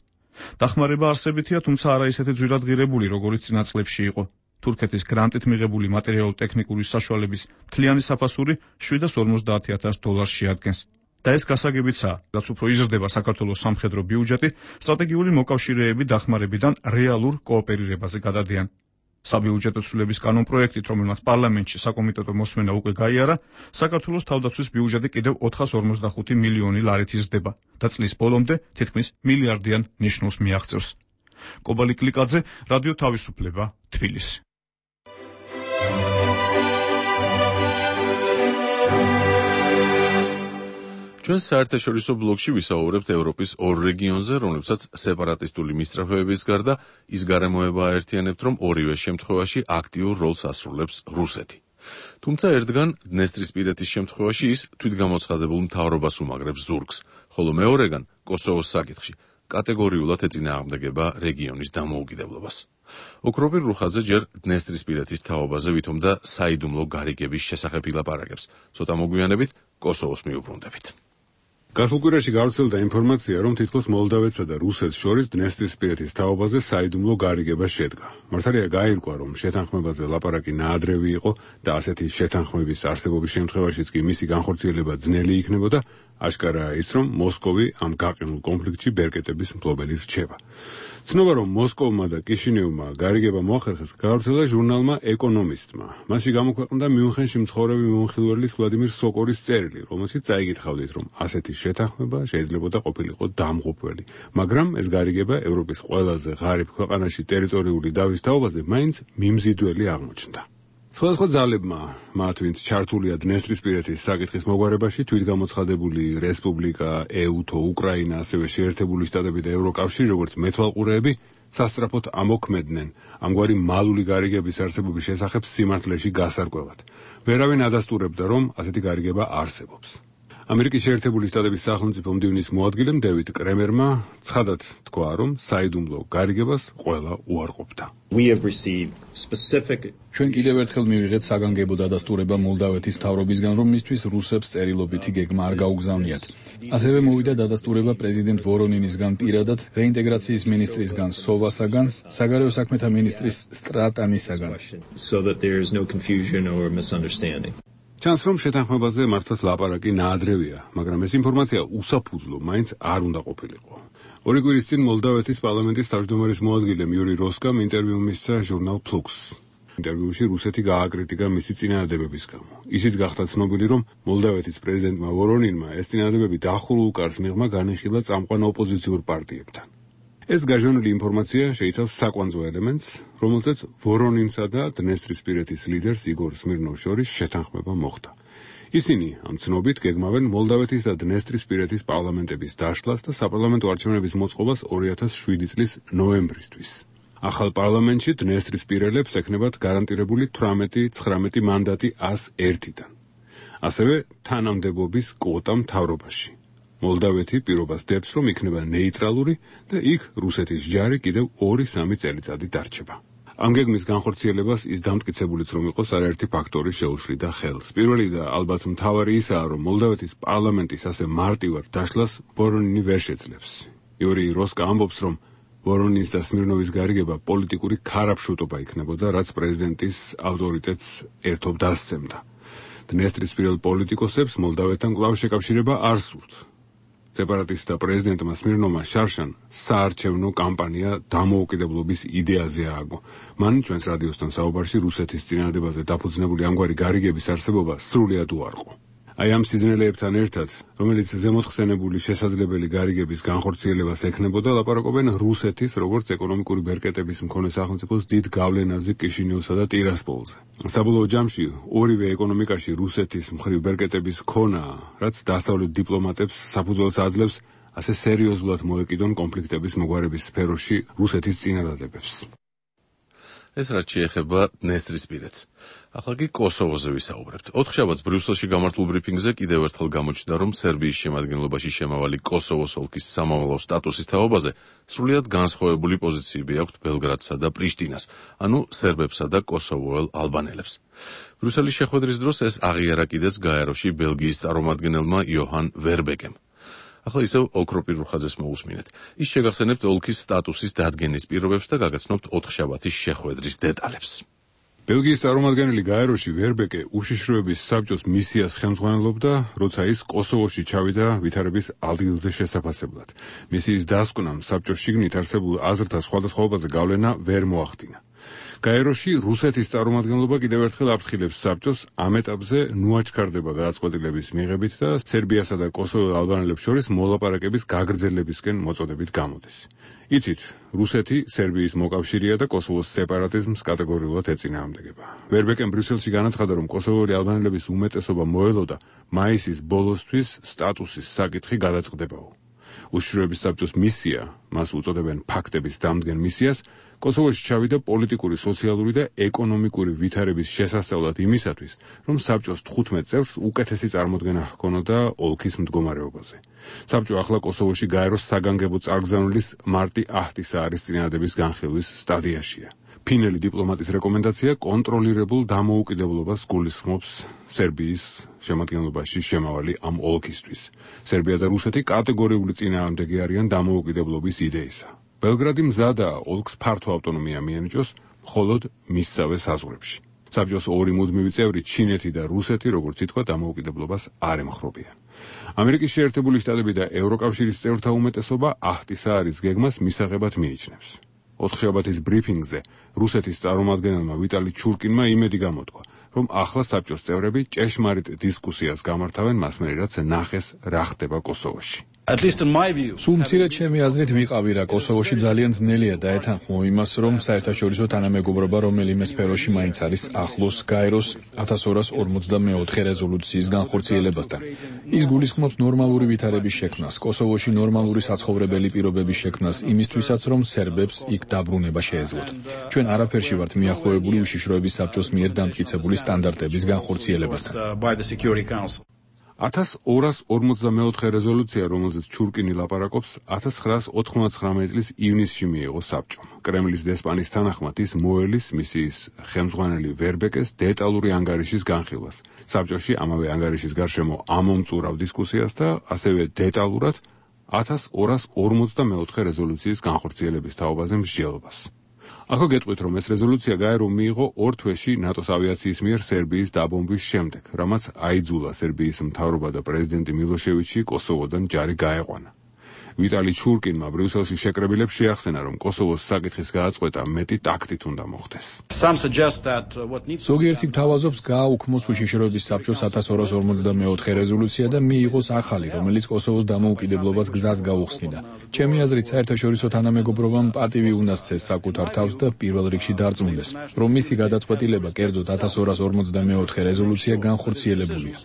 Speaker 15: დახმარება არსებითია, თუმცა არა ისეთი ძვირადღირებული, როგორც წინა წლებში იყო. თურქეთის გრანტით მიღებული მატერიალურ-ტექნიკური საშუალების მთლიანი საფასური $750,000 შეადგენს. და ეს გასაგებიცაა, რაც უფრო იზრდება საქართველოს სამხედრო ბიუჯეტი, სტრატეგიული მოკავშირეები დახმარებიდან რეალურ კოოპერირებაზე გადადიან. საბიუჯეტო ცვლილების კანონპროექტით, რომელმაც პარლამენტში საკომიტეტო მოსმენა უკვე გაიარა, საქართველოს თავდაცვის ბიუჯეტი კიდევ 455 მილიონი ლარით იზრდება და წლის ბოლომდე თითქმის მილიარდიან ნიშნულს მიაღწევს. კობალი კლიკაძე, რადიო თავისუფლება, თბილისი.
Speaker 1: ჩვენ საერთაშორისო ბლოკში ვისაუბრებთ ევროპის ორ რეგიონზე, რომლებსაც სეპარატისტული მისწრაფებების გარდა ის გარემოება აერთიანებთ, რომ ორივე შემთხვევაში აქტიურ როლს ასრულებს რუსეთი. თუმცა ერთგან დნესტრისპირეთის შემთხვევაში ის თვითგამოცხადებულ მთავრობას უმაგრებს ზურგს, ხოლო მეორეგან კოსოვოს საკითხში კატეგორიულად ეწინააღმდეგება რეგიონის დამოუკიდებლობას. ოქროპირ რუხაძე ჯერ დნესტრისპირეთის თაობაზე ვითომ და საიდუმლო გარიგების შესახებ ილაპარაკებს. ცოტა მოგვიანებით კოსოვოს მიუბრუნდებით.
Speaker 17: გასულ კვირაში გავრცელდა ინფორმაცია, რომ თითქოს მოლდავეთსა და რუსეთს შორის დნესტრისპირეთის თაობაზე საიდუმლო გარიგება შედგა. მართალია გაირკვა, რომ შეთანხმებაზე ლაპარაკი ნაადრევი იყო და ასეთი შეთანხმების არსებობის შემთხვევაშიც კი მისი განხორციელება ძნელი იქნებოდა, აშკარაა ის, რომ მოსკოვი ამ გაყინულ კონფლიქტში ბერკეტების მფლობელი რჩება. ცნობა, რომ მოსკოვმა და კიშინევმა გარიგება მოახერხეს, გავრცელა ჟურნალმა ეკონომისტმა. მასში გამოქვეყნდა მიუნხენში მცხოვრები მომხილველის ვლადიმირ სოკორის წერილი, რომელშიც წაიგითხავდით, რომ ასეთი შეთანხმება შეიძლებოდა ყოფილიყო დამღუპველი, მაგრამ ეს გარიგება ევროპის ყველაზე ღარიბ ქვეყანაში ტერიტორიული დავის თაობაზე მაინც მიმზიდველი აღმოჩნდა. სხვადასხვა ძალებმა, მათ ვინც ჩართულია დნესტრისპირეთის საკითხის მოგვარებაში, თვითგამოცხადებული რესპუბლიკა, ეუთო, უკრაინა, ასევე შეერთებული შტატები და ევროკავშირი, როგორც მეთვალყურეები, სასწრაფოდ ამოქმედნენ ამგვარი მალული გარიგების არსებობის შესახებ სიმართლეში გასარკვევად. ვერავინ ადასტურებდა, რომ ასეთი გარიგება არსებობს. ამერიკის შეერთებული შტატების სახელმწიფო მდივნის მოადგილემ დევიდ კრემერმა ცხადად თქვა, რომ საიდუმლო გარიგებას ყველა უარყოფდა.
Speaker 18: ჩვენ კიდევ ერთხელ მივიღეთ საგანგებო დადასტურება მოლდავეთის მთავრობისგან, რომ მისთვის რუსებს წერილობითი გეგმა არ გაუგზავნიათ. ასევე მოვიდა დადასტურება პრეზიდენტ ვორონინისგან პირადად, რეინტეგრაციის მინისტრისგან სოვასაგან, საგარეო საქმეთა მინისტრის სტრატანისაგან.
Speaker 17: ჩანს, რომ შეთანხმებაზე მართლაც ლაპარაკი ნაადრევია, მაგრამ ეს ინფორმაცია უსაფუძვლო მაინც არ უნდა ყოფილიყო. ორი კვირის წინ მოლდავეთის პარლამენტის თავმჯდომარის მოადგილემ იური როსკამ ინტერვიუ მისცა ჟურნალ ფლუქსს. ინტერვიუში რუსეთი გააკრიტიკა მისი წინადადებების გამო. ისიც გახდა ცნობილი, რომ მოლდავეთის პრეზიდენტმა ვორონინმა ეს წინადადებები დახურულ კარს მიღმა განიხილა წამყვან ოპოზიციურ პარტიებთან. ეს გაჟონილი ინფორმაცია შეიცავს საკვანძო ელემენტს, რომელზეც ვორონინსა და დნესტრისპირეთის ლიდერს იგორ სმირნოვს შორის შეთანხმება მოხდა. ისინი ამ ცნობით გეგმავენ მოლდავეთის და დნესტრისპირეთის პარლამენტების დაშლას და საპარლამენტო არჩევნების მოწყობას 2007 წლის ნოემბრისთვის. ახალ პარლამენტში დნესტრისპირელებს ექნებათ გარანტირებული 18-19 მანდატი 101-დან. ასევე თანამდებობის კვოტა მთავრობაში. მოლდავეთი პირობას დებს, რომ იქნება ნეიტრალური და იქ რუსეთის ჯარი კიდევ 2-3 წელიწადი დარჩება. ამ გეგმის განხორციელებას ის დამტკიცებულიც რომ იყოს არაერთი ფაქტორი შეუშლიდა ხელს. პირველი და ალბათ მთავარი ისაა, რომ მოლდავეთის პარლამენტის ასე მარტივად დაშლას ვორონინი ვერ შეძლებს. იური როსკა ამბობს, რომ ვორონინის და სმირნოვის გარიგება პოლიტიკური ქარაფშუტობა იქნებოდა, რაც პრეზიდენტის ავტორიტეტს ერთობ დასცემდა. დნესტრისპირელ პოლიტიკოსებს მოლდავეთთან კვლავ შეკავშირება არ სურთ. სეპარატისტთა პრეზიდენტმა სმირნოვმა შარშან საარჩევნო კამპანია დამოუკიდებლობის იდეაზე ააგო. მან ჩვენს რადიოსთან საუბარში რუსეთის წინადადებაზე დაფუძნებული ამგვარი გარიგების არსებობა სრულად უარყო. აი ამ სიძნელეებთან ერთად, რომელიც ზემოთხსენებული შესაძლებელი გარიგების განხორციელებას ექნებოდა, ლაპარაკობენ რუსეთის, როგორც ეკონომიკური ბერკეტების მქონე სახელმწიფოს დიდ გავლენაზე კიშინევსა და ტირასპოლზე. საბოლოო ჯამში ორივე ეკონომიკაში რუსეთის მხრივ ბერკეტების ქონაა, რაც დასავლეთ დიპლომატებს საფუძველს აძლევს ასე სერიოზულად მოეკიდონ კონფლიქტების მოგვარების სფეროში რუსეთის წინადადებებს.
Speaker 1: ეს რაც შეეხება დნესტრისპირეთს. ახლა კი კოსოვოზე ვისაუბრებთ. 4 შაბათს ბრიუსელში გამართულ ბრიფინგზე კიდევ ერთხელ გამოჩნდა, რომ სერბიის შემადგენლობაში შემავალი კოსოვოს ოლქის სამამულო სტატუსის თაობაზე სრულიად განსხვავებული პოზიციები აქვთ ბელგრადსა და პრიშტინას, ანუ სერბებსა და კოსოვოელ ალბანელებს. ბრიუსელის შეხვედრის დროს ეს აღიარა კიდეც გაეროში ბელგიის წარმომადგენელმა იოჰან ვერბეკემ. ახლა ისევ ოქროპირ რუხაძეს მოусმინეთ. ის შეგახსენებთ ოლქის სტატუსის დადგენის პირობებს და გაგაცნობთ 4 შაბათის შეხვედრის დეტალებს.
Speaker 17: ბელგიის წარმომადგენელი გაეროში ვერბეკე უშიშროების საბჭოს მისიას ხელმძღვანელობდა, როცა ის კოსოვოში ჩავიდა ვითარების ადგილზე შესაფასებლად. მისიის დასკვნამ საბჭოს შიგნით არსებულ აზრთა სხვადასხვაობაზე გავლენა ვერ მოახდინა. გაეროში რუსეთის წარმომადგენლობა კიდევ ერთხელ აფრთხილებს საბჭოს ამ ეტაპზე ნუაჩქარდება გადაწყვეტილების მიღებით და სერბიასა და კოსოვოს ალბანელებს შორის მოლაპარაკების გაგრძელებისკენ მოწოდებით გამოდის. იცით, რუსეთი სერბიის მოკავშირეა და კოსოვოს სეპარატიზმს კატეგორიულად ეწინააღმდეგება. ვერბეკენ ბრიუსელში განაცხადა, რომ კოსოვური ალბანელების უმეტესობა მოელოდა მაისის ბოლოსთვის სტატუსის საკითხი გადაწყდებაო. უშიშროების საბჭოს მისია, მას უწოდებენ ფაქტების დამდგენ მისიას, კოსოვოში ჩავიდა პოლიტიკური, სოციალური და ეკონომიკური ვითარების შესასწავლად იმისათვის, რომ საბჭოს 15 წევრს უკეთესი წარმოდგენა ჰქონოდა ოლქის მდგომარეობაზე. საბჭო ახლა კოსოვოში გაეროს საგანგებო წარგზავნილის მარტი აჰტისაარის წინადადების განხილვის სტადიაშია. ფინელი დიპლომატის რეკომენდაცია კონტროლირებულ დამოუკიდებლობას გულისხმობს სერბიის შემადგენლობაში შემავალი ამ ოლქისთვის. სერბია და რუსეთი კატეგორიული წინააღმდეგი არიან დამოუკიდებლობის იდეისა. ბელგრადი მზადაა ოლქს ფართო ავტონომია მიენიჭოს, მხოლოდ მისსავე საზღვრებში. საბჭოს ორი მუდმივი წევრი, ჩინეთი და რუსეთი, როგორც ითქვა, დამოუკიდებლობას არ ემხრობიან. ამერიკის შეერთებული შტატები და ევროკავშირის წევრთა უმეტესობა აჰტისაარის გეგმას მისაღებად მიიჩნევს. ოთხშაბათის ბრიფინგზე რუსეთის წარმომადგენელმა ვიტალი ჩურკინმა იმედი გამოთქვა, რომ ახლა საბჭოს წევრები ჭეშმარიტ დისკუსიას გამართავენ მასმერი, რაც ნახეს რა ხდება კოსოვოში.
Speaker 18: სულ მცირედ ჩემი აზრით ვიყავი რა კოსოვოში ძალიან ძნელია დაეთანხმო იმას, რომ საერთაშორისო თანამეგობრობა რომელიმე სფეროში მაინც არის ახლოს გაეროს 1244 რეზოლუციის განხორციელებასთან. ის გულისხმობს ნორმალური ვითარების შექმნას, კოსოვოში ნორმალური საცხოვრებელი პირობების შექმნას იმისთვისაც, რომ სერბებს იქ დაბრუნება შეეძლოთ. ჩვენ არაფერში ვართ მიახლოებული უშიშროების საბჭოს მიერ დამტკიცებული სტანდარტების განხორციელებასთან.
Speaker 17: 1244 რეზოლუცია, რომელზეც ჩურკინი ლაპარაკობს, 1999 წლის ივნისში მიიღო საბჭომ. კრემლის დესპანის თანახმად ის მოელის მისიის ხელმძღვანელი ვერბეკეს დეტალური ანგარიშის განხილვას. საბჭოში ამავე ანგარიშის გარშემო ამომწურავ დისკუსიას და ასევე დეტალურად 1244 რეზოლუციის განხორციელების თაობაზე მსჯელობას. ახლა გეტყვით, რომ ეს რეზოლუცია გაერომ მიიღო 2 თვეში ნატოს ავიაციის მიერ სერბიის დაბომბვის შემდეგ, რამაც აიძულა სერბიის მთავრობა და პრეზიდენტი მილოშევიჩი კოსოვოდან ჯარი გაეყვანა. ვიტალი ჩურკინმა ბრიუსელში შეკრებილებს შეახსენა, რომ კოსოვოს საკითხის გადაწყვეტა მეტი ტაქტით უნდა მოხდეს.
Speaker 18: ზოგიერთი გთავაზობს გააუქმოს უშიშროების საბჭოს 1244 რეზოლუცია და მიიღოს ახალი, რომელიც კოსოვოს დამოუკიდებლობას გზას გაუხსნიდა. ჩემი აზრით, საერთაშორისო თანამეგობრობამ პატივი უნდა სცეს საკუთარ თავს და პირველ რიგში დარწმუნდეს, რომ მისი გადაწყვეტილება, კერძოდ 1244 რეზოლუცია განხორციელებულია.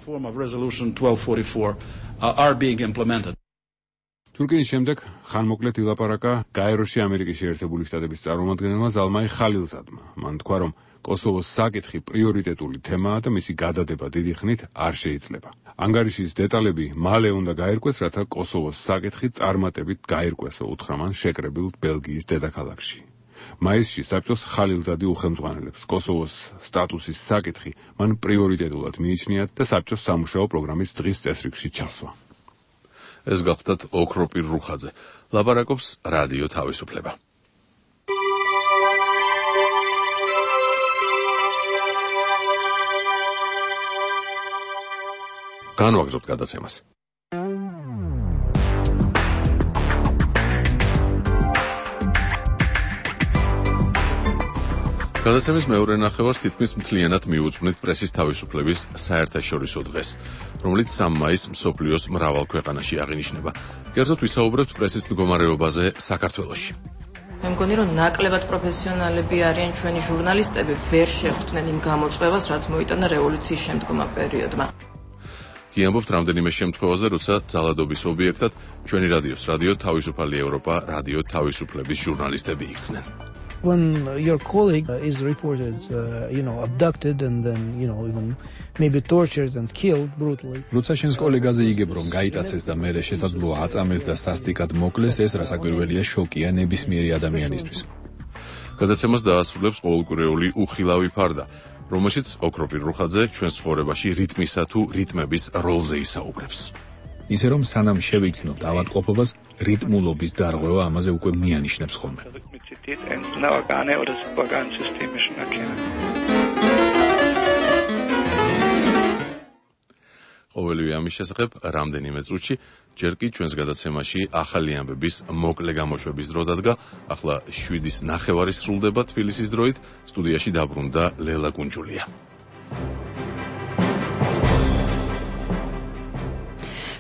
Speaker 17: თურქეთის შემდეგ ხანმოკლედ ილაპარაკა გაეროში ამერიკის შეერთებული შტატების წარმომადგენელმა ზალმაი ხალილზადმა. მან თქვა, რომ კოსოვოს საკითხი პრიორიტეტული თემაა და მისი გადადება დიდი ხნით არ შეიძლება. ანგარიშის დეტალები მალე უნდა გაირკვეს, რათა კოსოვოს საკითხი წარმატებით გაირკვესო, უთხრა მან შეკრებილ ბელგიის დედაქალაქში. მაისში საბჭოს ხალილზადი უხელმძღვანელებს კოსოვოს სტატუსის საკითხი მან პრიორიტეტულად მიიჩნია და საბჭოს სამუშაო პროგრამის დღის წესრიგში ჩასვა. ეს გახდათ ოქროპირ რუხაძე. ლაპარაკობს რადიო თავისუფლება. განვაგრძობთ გადაცემას. გადაცემის მეორე ნახევარს თითქმის მთლიანად მიუძვნით პრესის თავისუფლების საერთაშორისო დღეს, რომელიც 3 მაისს მსოფლიოს მრავალ ქვეყანაში აღინიშნება. კერძოდ ვისაუბრებთ პრესის მდგომარეობაზე საქართველოში.
Speaker 19: მე მგონი, რომ ნაკლებად პროფესიონალები არიან ჩვენი ჟურნალისტები, ვერ შეხვდნენ იმ გამოწვევას, რაც მოიტანა რევოლუციის შემდგომა პერიოდმა.
Speaker 1: გიამბობთ რამდენიმე შემთხვევაზე, როცა ძალადობის ობიექტად ჩვენი რადიოს, რადიო თავისუფალი ევროპა, რადიო თავისუფლების ჟურნალისტები იქცნენ.
Speaker 12: When your colleague is reported, abducted and then, even maybe tortured and killed brutally.
Speaker 18: როცა შენს კოლეგაზე იგებ, რომ გაიტაცეს და მერე შესაძლოა აწამეს და სასტიკად მოკლეს, ეს რასაკვირველია შოკია ნებისმიერი ადამიანისთვის.
Speaker 1: გადაცემას დაასრულებს ყოველკვირეული უხილავი ფარდა, რომელშიც ოქროპირ რუხაძე ჩვენს ცხოვრებაში რიტმისა თუ რიტმების როლზე ისაუბრებს.
Speaker 18: ისე რომ სანამ შევიქნოთ ავადმყოფობას, რიტმულობის დარღვევა ამაზე უკვე მიანიშნებს ხოლმე.
Speaker 20: And now organe oder organsystemischen Erkennung.
Speaker 1: ყოველივე ამის შესახებ რამდენიმე წუთში, ჯერ კი ჩვენს გადაცემაში ახალი ამბების მოკლე გამოშვების დრო დადგა, ახლა 7:09 სრულდება თბილისის დროით, სტუდიაში დაბრუნდა ლელა კუნჯულია.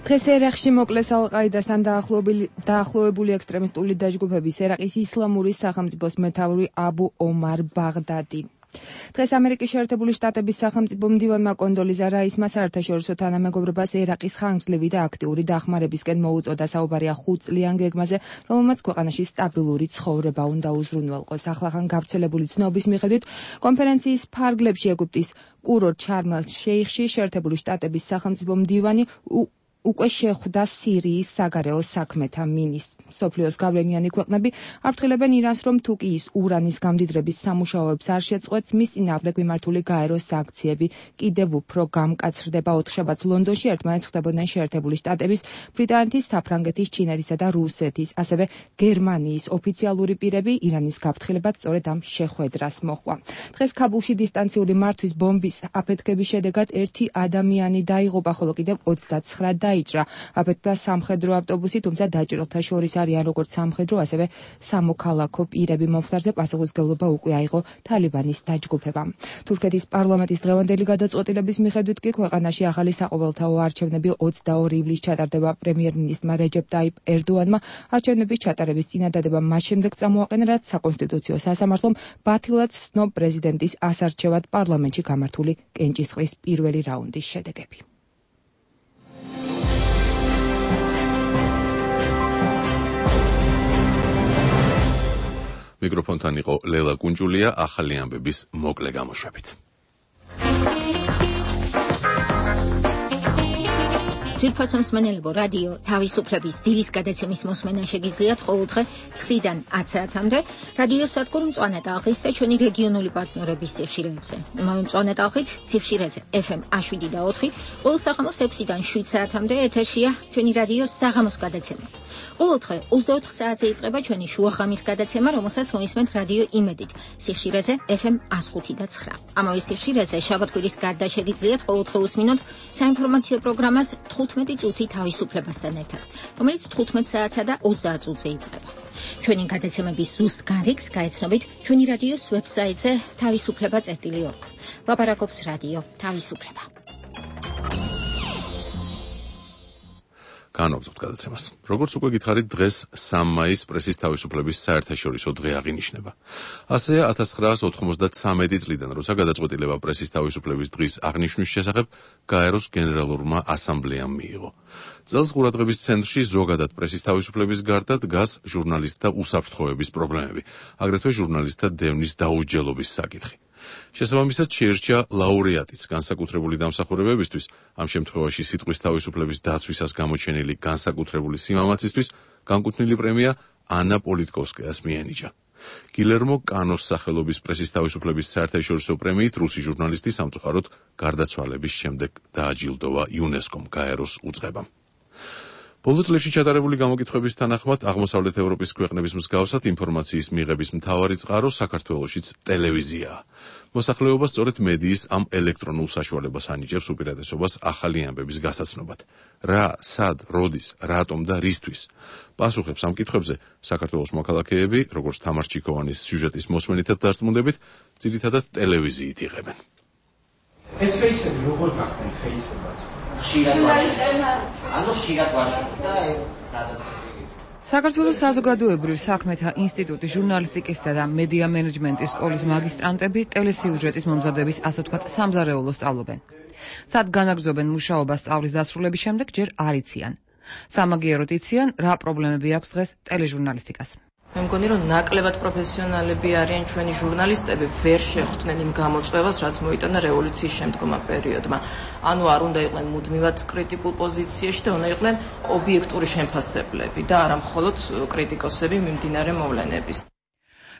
Speaker 2: დღეს ერაყში მოკლეს ალ-ყაიდასთან დაახლოებული ექსტრემისტული დაჯგუფების ერაყის ისლამური სახელმწიფოს მეთაური აბუ ომარ ბაღდადი. დღეს ამერიკის შეერთებული შტატების სახელმწიფო მდივანმა კონდოლიზა რაისმა საერთაშორისო თანამეგობრობას ერაყის ხანგრძლივი და აქტიური დახმარებისკენ მოუწოდა. საუბარია 5 წლიან გეგმაზე, რომელმაც ქვეყანაში სტაბილური ცხოვრება უნდა უზრუნველყოს. ახლახან გავრცელებული ცნობის მიხედვით, კონფერენციის ფარგლებში ეგვიპტის კურორტ შარმ-ალ-შეიხში შეერთებული შტატების სახელმწიფო მდივანი უკვე შეხვდა სირიის საგარეო საქმეთა მინისტრს. სოფლიოს გავლენიანი ქვეყნები აფრთხილებენ ირანს, რომ თუ კი ის ურანის გამდიდრების სამუშაოებს არ შეწყვეტს, მის წინააღმდეგ მიმართული გაერო სანქციები კიდევ უფრო გამკაცრდება. 4 შაბათს ლონდონში ერთმანეთს ხვდებოდნენ შეერთებული შტატების, ბრიტანეთის, საფრანგეთის, ჩინეთისა და რუსეთის, ასევე გერმანიის ოფიციალური პირები. ირანის გაფრთხილებაც სწორედ ამ შეხვედრას მოჰყვა. დღეს ქაბულში დისტანციური მართვის ბომბის აფეთქების შედეგად 1 ადამიანი დაიღუპა, ხოლო კიდევ 29 დაიჭრა. აფეთქდა სამხედრო ავტობუსი, თუმცა დაჭრილთა შორის არიან როგორც სამხედრო, ასევე სამოქალაქო პირები. მომხდარზე პასუხისმგებლობა უკვე აიღო თალიბანის დაჯგუფებამ. თურქეთის პარლამენტის დღევანდელი გადაწყვეტილების მიხედვით კი ქვეყანაში ახალი საყოველთაო არჩევნები 22 ივლისს ჩატარდება. პრემიერ-მინისტრმა რეჯეპ ტაიპ ერდოანმა არჩევნების ჩატარების წინადადება მას შემდეგ წამოაყენა, რაც საკონსტიტუციო სასამართლომ ბათილად ცნო პრეზიდენტის ასარჩევად პარლამენტში გამართული კენჭისყრის პირველი რაუნდის შედეგები.
Speaker 1: მიკროფონთან იყო ლელა კუნჯულია ახალი ამბების მოკლე გამოშვებით.
Speaker 21: ძვირფასო მსმენელებო, რადიო თავისუფლების დილის გადაცემის მოსმენა შეგიძლიათ ყოველდღე 9-დან 10 საათამდე რადიო სადგურ მწვანე ტალღის და ჩვენი რეგიონული პარტნიორების სიხშირეებზე. იმავე მწვანე ტალღით სიხშირეზე FM 7 და 4, ყოველ საღამოს 6-დან 7 საათამდე ეთერშია ჩვენი რადიო საღამოს გადაცემა. ყოველდღე 24 საათზე იწყება ჩვენი შუახამის გადაცემა, რომელსაც მოისმენთ რადიო იმედით სიხშირეზე FM 105 და 9. ამავე სიხშირეზე შაბათ-კვირის გარდა შეგიძლიათ ყოველდღე უსმინოთ საინფორმაციო პროგრამას 15 წუთი თავისუფლებასთან ერთად, რომელიც 15 საათსა და 30 წუთზე იწყება. ჩვენი გადაცემების ზუსტ განრიგს გაეცნობით ჩვენი რადიოს ვებსაიტზე თავისუფლება.org. ლაპარაკობს რადიო თავისუფლება.
Speaker 1: განვაგრძობთ გადაცემას. როგორც უკვე გითხარით, დღეს 3 მაისს პრესის თავისუფლების საერთაშორისო დღე აღინიშნება. ასეა 1993 წლიდან, როცა გადაწყვეტილება პრესის თავისუფლების დღის აღნიშვნის შესახებ გაეროს გენერალურმა ასამბლეამ მიიღო. წელს ყურადღების ცენტრში ზოგადად პრესის თავისუფლების გარდა დგას ჟურნალისტთა უსაფრთხოების პრობლემები, აგრეთვე ჟურნალისტთა დევნის დაუსჯელობის საკითხი. შესაბამისად შეირჩა ლაურეატიც განსაკუთრებული დამსახურებებისთვის, ამ შემთხვევაში სიტყვის თავისუფლების დაცვისას გამოჩენილი განსაკუთრებული სიმამაცისთვის, განკუთვნილი პრემია ანა პოლიტკოვსკაიას მიენიჭა. გილერმო კანოს სახელობის პრესის თავისუფლების საერთაშორისო პრემიით რუსი ჟურნალისტი სამწუხაროდ გარდაცვალების შემდეგ დააჯილდოვა იუნესკომ გაეროს უწყებამ. ბოლო წლებში ჩატარებული გამოკითხვების თანახმად აღმოსავლეთ ევროპის ქვეყნების მსგავსად ინფორმაციის მიღების მთავარი წყარო საქართველოშიც ტელევიზიაა. მოსახლეობა სწორედ მედიის ამ ელექტრონულ საშუალებას ანიჭებს უპირატესობას ახალი ამბების გასაცნობად. რა, სად, როდის, რატომ და რისთვის? პასუხებს ამ კითხვებზე საქართველოს მოქალაქეები, როგორც თამარ ჩიქოვანის სიუჟეტის მოსმენითად დარწმუნდებით, ძირითადად ტელევიზიით იღებენ.
Speaker 22: ეს ფეისები როგორ გახდნენ ფეისებად?
Speaker 9: საქართველოს საზოგადოებრივ საქმეთა ინსტიტუტის ჟურნალისტიკისა და მედია მენეჯმენტის სკოლის მაგისტრანტები ტელესიუჟეტის მომზადების ასე ვთქვათ სამზარეულოს სწავლობენ. სად განაგრძობენ მუშაობას სწავლის დასრულების შემდეგ ჯერ არ იციან. სამაგიეროდ იციან, რა პრობლემები აქვს დღეს ტელეჟურნალისტიკას.
Speaker 19: მე მგონი რომ ნაკლებად პროფესიონალები არიან ჩვენი ჟურნალისტები, ვერ შეხვდნენ იმ გამოწვევას, რაც მოიტანა რევოლუციის შემდგომა პერიოდმა. ანუ არ უნდა იყვნენ მუდმივად კრიტიკულ პოზიციაში და უნდა იყვნენ ობიექტური შემფასებლები და არა მხოლოდ კრიტიკოსები მიმდინარე მოვლენების.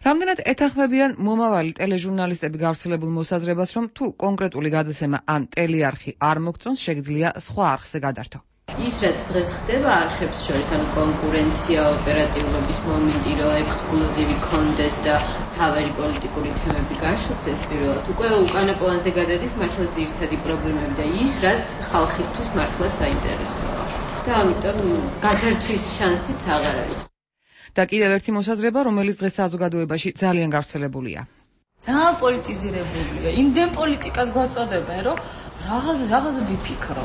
Speaker 9: რამდენად ეთანხმებიან მომავალი ტელეჟურნალისტები გავრცელებულ მოსაზრებას, რომ თუ კონკრეტული გადაცემა ან ტელეარხი არ მოგწონს, შეგიძლია სხვა არხზე გადართო.
Speaker 6: ის რაც დღეს ხდება არხებს შორის, ანუ კონკურენცია, ოპერატიულობის მომენტი, რომ ექსკლუზივი კონდეს და თავარი პოლიტიკური თემები გაშუქდეს პირველად, უკვე უკანა პლანზე გადადის მართლა ძირითადი პრობლემები და ის რაც ხალხისთვის მართლა საინტერესოა. და ამიტომ გადართვის შანსიც აღარ არის.
Speaker 9: და კიდევ ერთი მოსაზრება, რომელიც დღეს საზოგადოებაში ძალიან გავრცელებულია.
Speaker 8: ძალიან პოლიტიზირებულია. იმდენ პოლიტიკას გვაწოდებენ, რომ რაღაც ვიფიქრო.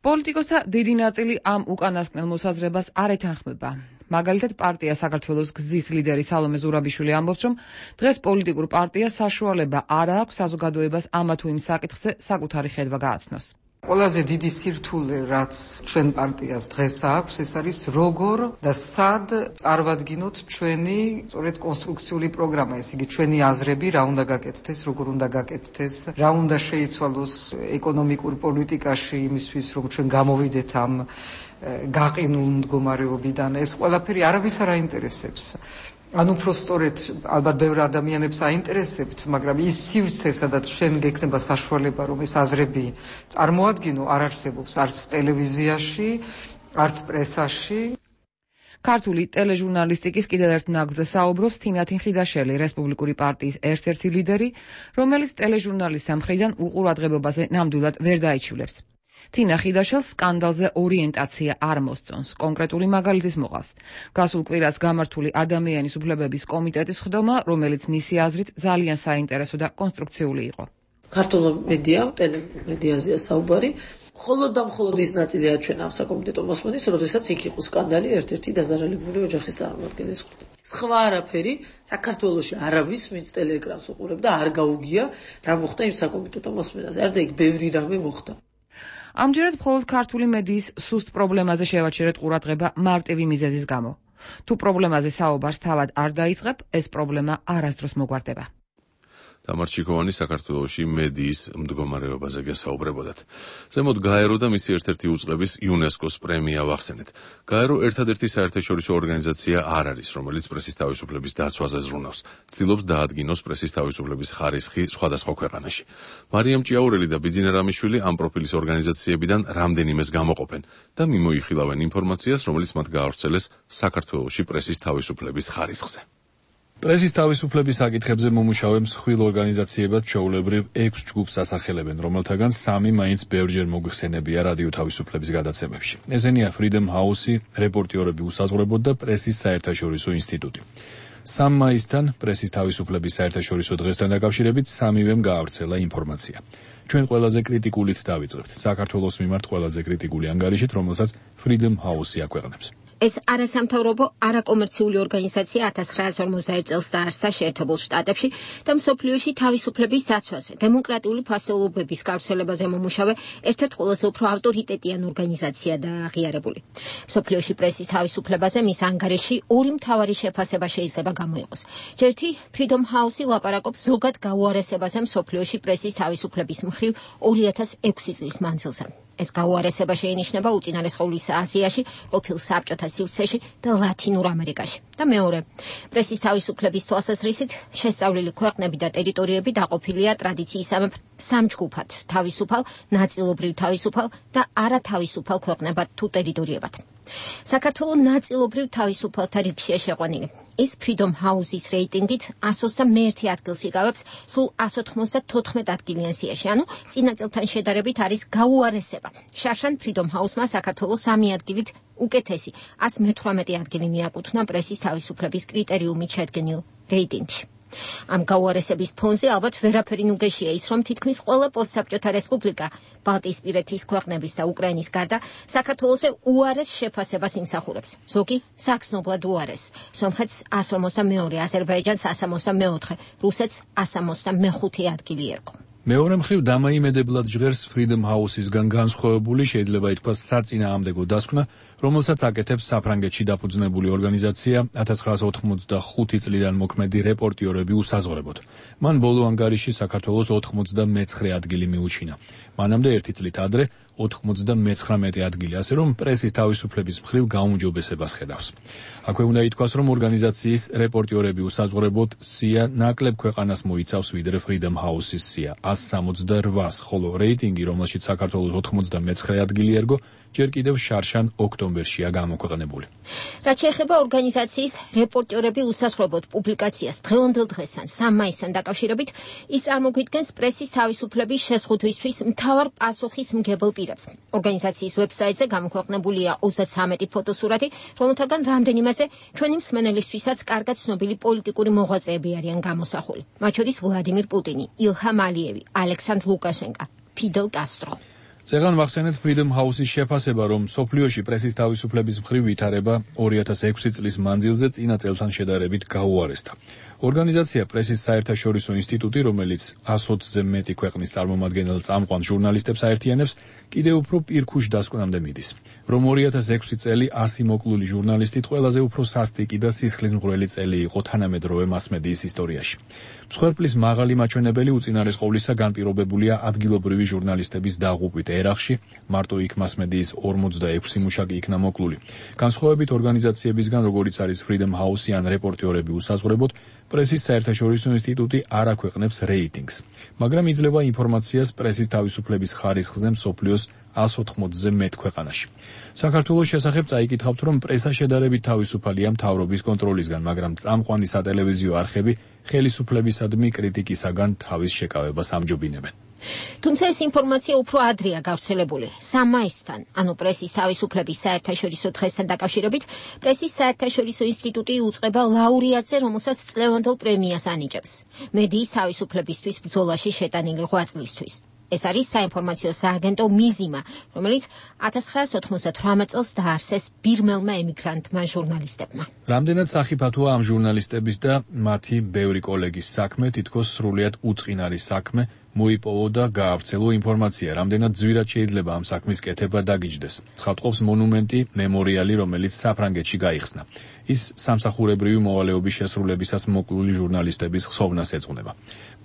Speaker 9: პოლიტიკოსთა დიდი ნაწილი ამ უკანასკნელ მოსაზრებას არ ეთანხმება. მაგალითად, პარტია საქართველოს გზის ლიდერი სალომე ზურაბიშვილი ამბობს, რომ დღეს პოლიტიკურ პარტიას საშუალება არ აქვს საზოგადოებას ამა თუ იმ საკითხზე საკუთარი ხედვა გააცნოს.
Speaker 23: ყველაზე დიდი სირთულე, რაც ჩვენ პარტიას დღეს აქვს, ეს არის როგორ და სად წარვადგინოთ ჩვენი სწორედ კონსტრუქციული პროგრამა, ეს იგი ჩვენი აზრები, რა უნდა გაკეთდეს, როგორ უნდა გაკეთდეს, რა უნდა შეიცვალოს ეკონომიკურ პოლიტიკაში იმისთვის, რომ ჩვენ გამოვიდეთ ამ გაყინულ მდგომარეობიდან. ეს ყველაფერი არავის არ აინტერესებს. ანუ პროსტორეთ ალბათ ბევრ ადამიანებს აინტერესებთ, მაგრამ ის სივრცე, სადაც შენ გექნება საშუალება, რომ ეს აზრები წარმოადგინო, არ არსებობს არც ტელევიზიაში, არც პრესაში.
Speaker 9: ქართული ტელეჟურნალისტიკის კიდევ ერთ ნაგვზე საუბრობს თინათინ ხიდაშელი, რესპუბლიკური პარტიის ერთ-ერთი ლიდერი, რომელიც ტელეჟურნალისტთა მხრიდან უყურადღებობაზე ნამდვილად ვერ დაიჩივლებს. თინა ხიდაშელს სკანდალზე ორიენტაცია არ მოსწონს, კონკრეტული მაგალითის მოყავს. გასულ კვირას გამართული ადამიანის უფლებების კომიტეტის ხდომა, რომელიც მისი აზრით ძალიან საინტერესო და კონსტრუქციული იყო.
Speaker 24: ქართულ მედია, ტელემედიაზეა საუბარი, მხოლოდ და მხოლოდ ის ნაწილია ჩვენ ამ საკომიტეტო მოსმენის, როდესაც იქ იყო სკანდალი ერთ-ერთი დაზარალებული ოჯახის წარმომადგენლის ხვდა. სხვა არაფერი საქართველოში არავის ვინც ტელეეკრანს უყურებდა არ გაუგია რა მოხდა იმ საკომიტეტო მოსმენაზე. არ და იქ ბევრი რამე მოხდა.
Speaker 9: ამჯერად მხოლოდ ქართული მედიის სუსტ პრობლემაზე შევაჩერეთ ყურადღება მარტივი მიზეზის გამო. თუ პრობლემაზე საუბარს თავად არ დაიწყებ, ეს პრობლემა არასდროს მოგვარდება.
Speaker 1: თამარ ჩიქოვანი საქართველოში მედიის მდგომარეობაზე გესაუბრებოდათ. ზემოთ გაერო და მისი ერთ-ერთი უწყების იუნესკოს პრემია ვახსენეთ. გაერო ერთადერთი საერთაშორისო ორგანიზაცია არ არის, რომელიც პრესის თავისუფლების დაცვაზე ზრუნავს. ცდილობს დაადგინოს პრესის თავისუფლების ხარისხი სხვადასხვა ქვეყანაში. მარიამ ჭიაურელი და ბიძინა რამიშვილი ამ პროფილის ორგანიზაციებიდან რამდენიმეს გამოყოფენ და მიმოიხილავენ ინფორმაციას, რომელიც მათ გაავრცელეს საქართველოში პრესის თავისუფლების ხარისხზე.
Speaker 18: პრესის თავისუფლების საკითხებზე მომუშავე მსხვილ ორგანიზაციებად ჩვეულებრივ 6 ჯგუფს ასახელებენ, რომელთაგან 3 მაინც ბევრჯერ მოგვიხსენებია რადიო თავისუფლების გადაცემებში. ესენია Freedom House-ი, რეპორტიორები უსაზღვრებლოდ და პრესის საერთაშორისო ინსტიტუტი. 3 მაისთან პრესის თავისუფლების საერთაშორისო დღესთან დაკავშირებით 3-ვემ გაავრცელა ინფორმაცია. ჩვენ ყველაზე კრიტიკულით დავიწყებთ, საქართველოს მიმართ ყველაზე კრიტიკული ანგარიშით, რომელსაც Freedom House-ი აქვეყნებს.
Speaker 21: ეს არასამთავრობო არაკომერციული ორგანიზაცია 1941 წელს დაარსდა შეერთებულ შტატებში და მსოფლიოში თავისუფლების დაცვაზე, დემოკრატიული ფასეულობების გავრცელებაზე მომუშავე ერთ-ერთ ყველაზე უფრო ავტორიტეტიან ორგანიზაციადაა აღიარებული. მსოფლიოში პრესის თავისუფლებაზე მის ანგარიში ორი მთავარი შეფასება შეიძლება გამოიყოს. ერთი, Freedom House-ი ლაპარაკობს ზოგად გაუარესებაზე მსოფლიოში პრესის თავისუფლების მხრივ 2006 წლის მანძილზე. ეს გაუარესება შეინიშნება უწინარესყოლის აზიაში, ყოფილ საბჭოთა სივრცეში და ლათინურ ამერიკაში. და მეორე, პრესის თავისუფლების თვალსაზრისით შესწავლილი ქვეყნები და ტერიტორიები დაყოფილია ტრადიციისამებრ 3 ჯგუფად: თავისუფალ, ნაწილობრივ თავისუფალ და არათავისუფალ ქვეყნებად თუ ტერიტორიებად. საქართველო ნაწილობრივ თავისუფალთა რიგშია შეყვანილი. ის Freedom House-ის რეიტინგით 121 ადგილს იკავებს სულ 194 ადგილიან სიაში, ანუ წინა წელთან შედარებით არის გაუარესება. შარშან Freedom House-მა საქართველოს 3 ადგილით უკეთესი 118 ადგილი მიაკუთვნა პრესის თავისუფლების კრიტერიუმით შედგენილ რეიტინგში. ამ გაუარესების ფონზე ალბათ ვერაფერი ნუგეშია ის, რომ თითქმის ყველა პოსტსაბჭოთა რესპუბლიკა, ბალტიისპირეთის ქვეყნების და უკრაინის გარდა საქართველოს უარეს შეფასებას იმსახურებს. ზოგი საგრძნობლად უარეს. სომხეთს 152, აზერბაიჯანს 164, რუსეთს 165 ადგილი ერგო.
Speaker 18: მეორე მხრივ დამაიმედებლად ჟღერს Freedom House-ისგან განსხვავებული, შეიძლება ითქვას საწინააღმდეგო დასკვნა, რომელსაც აკეთებს საფრანგეთში დაფუძნებული ორგანიზაცია 1985 წლიდან მოქმედი რეპორტიორები უსაზღვრებლოდ. მან ბოლო ანგარიში საქართველოს 99 ადგილი მიუჩინა. მანამდე 1 წლით ადრე 99 ადგილი, ასე რომ პრესის თავისუფლების მხრივ გაუმჯობესებას ხედავს. აქვე უნდა ითქვას, რომ ორგანიზაციის რეპორტიორები უსაზღვრებლოდ სია ნაკლებ ქვეყანას მოიცავს ვიდრე Freedom House-ის სია 168, ხოლო რეიტინგი, რომელშიც საქართველოს 99 ადგილი ერგო, ჯერ კიდევ შარშან ოქტომბერშია გამოქვეყნებული.
Speaker 21: რაც შეეხება ორგანიზაციის რეპორტიორები უსასრულოდ პუბლიკაციას დღევანდელ დღესთან 3 მაისთან დაკავშირებით, ის წარმოგვიდგენს პრესის თავისუფლების შეზღუდვისთვის მთავარ პასუხის მგებელ პირებს. ორგანიზაციის ვებსაიტზე გამოქვეყნებულია 33 ფოტოსურათი, რომელთაგან რამდენიმეზე ჩვენი მსმენელისთვისაც კარგად ცნობილი პოლიტიკური მოღვაწეები არიან გამოსახული. მათ შორის ვლადიმირ პუტინი, ილჰამ ალიევი, ალექსანდრ ლუკაშენკა, ფიდელ კასტრო.
Speaker 18: წეგან მახსენეთ Freedom House-ის შეფასება, რომ სოფლიოში პრესის თავისუფლების მხრივ ვითარება 2006 წლის მანძილზე წინა წელთან შედარებით გაუარესდა. ორგანიზაცია პრესის საერთაშორისო ინსტიტუტი, რომელიც 120-ზე მეტი ქვეყნის წარმომადგენელ წამყვან ჟურნალისტებს აერთიანებს, კიდევ უფრო პირქუშ დასკვნამდე მიდის. რომ 2006 წელი 100 მოკლული ჟურნალისტით ყველაზე უფრო სასტიკი და სისხლისმღვრელი წელი იყო თანამედროვე მასმედიის ისტორიაში. მსხვერპლის მაღალი მაჩვენებელი უწინარეს ყოვლისა განპირობებულია ადგილობრივი ჟურნალისტების დაღუპვით ერახში, მარტო იქ მასმედიის 46 მუშაკი იქნა მოკლული. განსხვავებით ორგანიზაციებისგან, როგორიც არის Freedom House ან რეპორტიორები უსაზღვრებოდ, პრესის საერთაშორისო ინსტიტუტი არ აქვეყნებს რეიტინგს, მაგრამ იძლევა ინფორმაციას პრესის თავისუფლების ხარისხზე მსოფლიოს 180-ზე მეტ ქვეყანაში. საქართველოს შესახებ წაიკითხავთ, რომ პრესა შედარებით თავისუფალია მთავრობის კონტროლისგან, მაგრამ წამყვანი სატელევიზიო არხები ხელისუფლებისადმი კრიტიკისაგან თავის შეკავებას ამჯობინებენ.
Speaker 21: თუმცა ეს ინფორმაცია უფრო ადრეა გავრცელებული. 3 მაისთან, ანუ პრესის თავისუფლების საერთაშორისო დღესთან დაკავშირებით, პრესის საერთაშორისო ინსტიტუტი უწყება ლაურეატზე, რომელსაც წლევანდელ პრემიას ანიჭებს. მედიის თავისუფლებისთვის ბრძოლაში შეტანილი ღვაწლისთვის. ეს არის საინფორმაციო სააგენტო მიზიმა, რომელიც 1998 წელს დაარსეს ბირმელმა ემიგრანტმა ჟურნალისტებმა.
Speaker 18: რამდენად სახიფათოა ამ ჟურნალისტების და მათი ბევრი კოლეგის საქმე, თითქოს სრულიად უწყინარი საქმე, მოიპოვო და გაავრცელო ინფორმაცია, რამდენად ძვირად შეიძლება ამ საქმის კეთება დაგიჯდეს. ცხადყოფს მონუმენტი, მემორიალი, რომელიც საფრანგეთში გაიხსნა. ის სამსახურებრივი მოვალეობის შესრულებისას მოკლული ჟურნალისტების ხსოვნას ეძღვნება.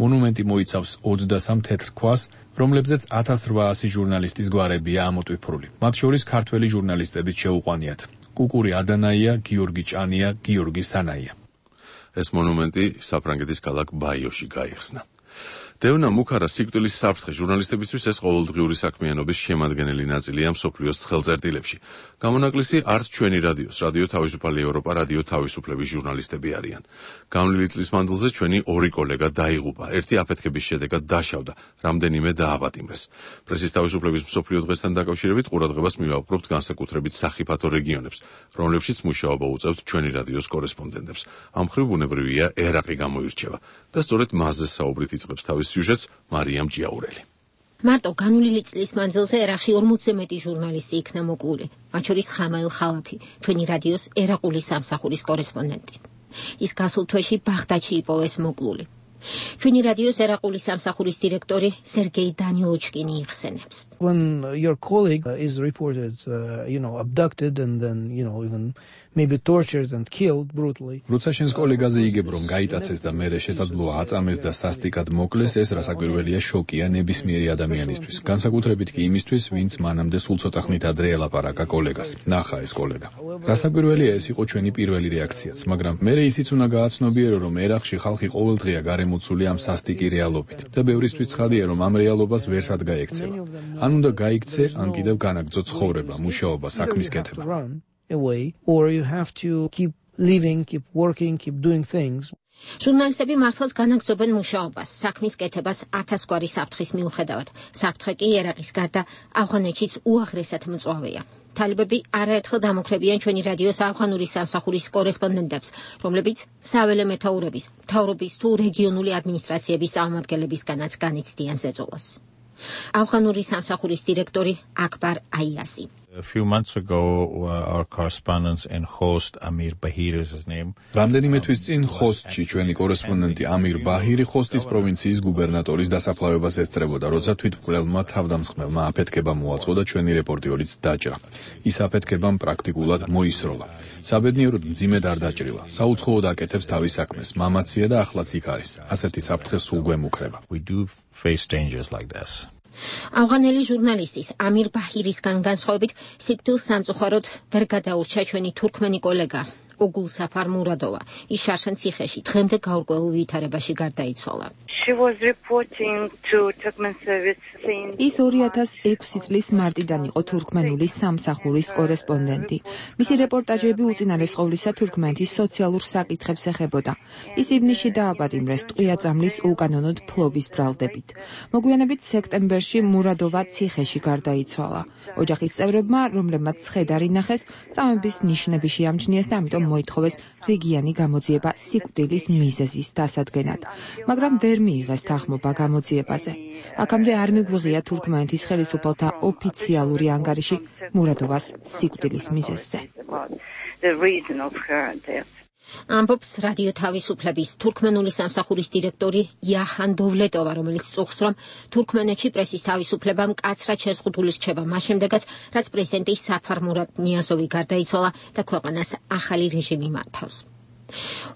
Speaker 18: მონუმენტი მოიცავს 23 თეთრ ქვას, რომლებზეც 1800 ჟურნალისტის გვარებია ამოტვიფრული. მათ შორის ქართველი ჟურნალისტებიც შეუყვანიათ. კუკური ადანაია, გიორგი ჭანია, გიორგი სანაია.
Speaker 1: ეს მონუმენტი საფრანგეთის ქალაქ ბაიოში გაიხსნა. დევნა მუქარა სიკვდილის საფრთხე ჟურნალისტებისთვის ეს ყოველდღიური საქმიანობის შემადგენელი ნაწილია მსოფლიოს ცხელწერტილებში. გამონაკლისი არც ჩვენი რადიოს, რადიო თავისუფალი ევროპა, რადიო თავისუფლების ჟურნალისტები არიან. გამლილი წლის მანძილზე ჩვენი 2 კოლეგა დაიღუპა, ერთი აფეთქების შედეგად დაშავდა, რამდენიმე დააპატიმრეს. პრესის თავისუფლების მსოფლიო დღესთან დაკავშირებით ყურადღებას მივაყრობთ განსაკუთრებით სახიფათო რეგიონებს, რომლებშიც მუშაობა უწევთ ჩვენი რადიოს კორესპონდენტებს. ამ მხრივ ბუნებრივია ერაყი გამოირჩევა და სწორედ მასზე საუბრით იწყებს თავის სიუჟეტს მარიამ ჭიაურელი.
Speaker 21: მარტო განვლილი წლის მანძილზე ერაყში 40-ზე მეტი ჟურნალისტი იქნა მოკლული, მათ შორის ხამაილ ხალაფი, ჩვენი რადიოს ერაყული სამსახურის კორესპონდენტი. ის გასულ თვეში ბაღდადში იპოვეს მოკლული. ჩვენი რადიოს ერაყული სამსახურის დირექტორი სერგეი დანილოჩკინი იხსენებს.
Speaker 12: When your colleague is reported, abducted and then, even maybe tortured and killed brutally.
Speaker 18: როცა შენს კოლეგაზე იგებ, რომ გაიტაცეს და მერე შესაძლოა აწამეს და სასტიკად მოკლეს, ეს რასაკვირველია შოკია ნებისმიერი ადამიანისთვის. განსაკუთრებით კი იმისთვის, ვინც მანამდე სულ ცოტა ხნით ადრე ელაპარაკა კოლეგას. ნახა ეს კოლეგა. რასაკვირველია ეს იყო ჩვენი პირველი რეაქციაც, მაგრამ მერე ისიც უნდა გააცნობიერო, რომ ერაყში ხალხი ყოველდღია გარემოცული ამ სასტიკი რეალობით და ბევრისთვის ცხადია, რომ ამ რეალობას ვერსად გაექცევა. ან უნდა გაიქცე, ან კიდევ განაგრძო ცხოვრება, მუშაობა, საქმის კეთება.
Speaker 12: Away, or you have to keep living, keep working, keep doing things.
Speaker 21: ჟურნალისტები მართლაც განაგრძობენ მუშაობას, საქმის კეთებას 1000 გვარი საფრთხის მიუხედავად. საფრთხე კი ერაყის გარდა ავღანეთშიც უაღრესად მწვავეა. თალიბები არაერთხელ დამოკრებიან ჩვენი რადიოს ავღანური სამსახურის კორესპონდენტებს, რომლებიც საველე მეთაურების, მთავრობის თუ რეგიონული ადმინისტრაციების წარმომადგენლებისგანაც განიცდიან ზეწოლას. ავღანური სამსახურის დირექტორი აკბარ აიასი.
Speaker 3: A few months ago, our correspondent in Khost, Amir Bahir is his name.
Speaker 18: რამდენიმე თვის წინ ხოსტში ჩვენი კორესპონდენტი ამირ ბაჰირი ხოსტის პროვინციის გუბერნატორის დასაფლავებას ესწრებოდა, როცა თვითმკვლელმა თავდამსხმელმა აფეთქება მოაწყო და ჩვენი რეპორტიორიც დაჭრა. ის აფეთქებამ პრაქტიკულად მოისროლა. საბედნიეროდ მძიმედ არ დაჭრილა. საუცხოოდ აკეთებს თავის საქმეს, მამაცია და ახლაც იქ არის. ასეთი საფრთხე სულ გვემუქრება.
Speaker 3: We do face dangers like this.
Speaker 21: ავღანელი ჟურნალისტის ამირ ბაჰირისგან განსხვავებით სიკვდილს სამწუხაროდ ვერ გადაურჩა ჩვენი თურქმენი კოლეგა ოგულ საფარ მურადოვა. ის შარშან ციხეში დღემდე გაურკვეველ ვითარებაში გარდაიცვალა.
Speaker 7: She was reporting to Turkmen service since
Speaker 2: ის 2006 წლის მარტიდან იყო თურქმენული სამსახურის კორესპონდენტი. მისი რეპორტაჟები უწინარეს ყოვლისა თურქმენეთის სოციალურ საკითხებს ეხებოდა. ის ივნისში დააპატიმრეს ტყვია-წამლის უკანონოდ ფლობის ბრალდებით. მოგვიანებით სექტემბერში მურადოვა ციხეში გარდაიცვალა. ოჯახის წევრებმა, რომლებმაც ცხედარი ნახეს, წამების ნიშნები შეამჩნიეს და ამიტომ მოითხოვეს რიგიანი გამოძიება სიკვდილის მიზეზის დასადგენად. მაგრამ ვერ მიიღეს თანხმობა გამოძიებაზე. აქამდე არ მიგვიღია თურქმენეთის ხელისუფალთა ოფიციალური ანგარიში მურადოვას სიკვდილის მიზეზზე.
Speaker 21: ამბობს რადიო თავისუფლების თურქმენული სამსახურის დირექტორი იაჰან დოვლეტოვა, რომელიც წუხს, რომ თურქმენეთში პრესის თავისუფლება მკაცრად შეზღუდული რჩება მას შემდეგაც, რაც პრეზიდენტი საფარ მურად ნიაზოვი გარდაიცვალა და ქვეყანას ახალი რეჟიმი მართავს.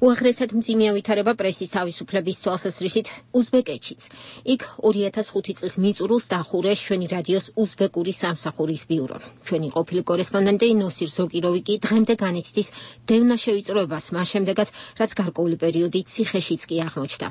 Speaker 21: უაღრესად მძიმეა ვითარება პრესის თავისუფლების თვალსაზრისით უზბეკეთშიც. იქ 2005 წლის მიწურულს დახურეს ჩვენი რადიოს უზბეკური სამსახურის ბიურო. ჩვენი ყოფილი კორესპონდენტი ნოსիր ზოკიროვი კი დღემდე განიცდის დევნაშევიწროებას მას შემდეგაც, რაც გარკვეული პერიოდი ციხეშიც კი აღმოჩნდა.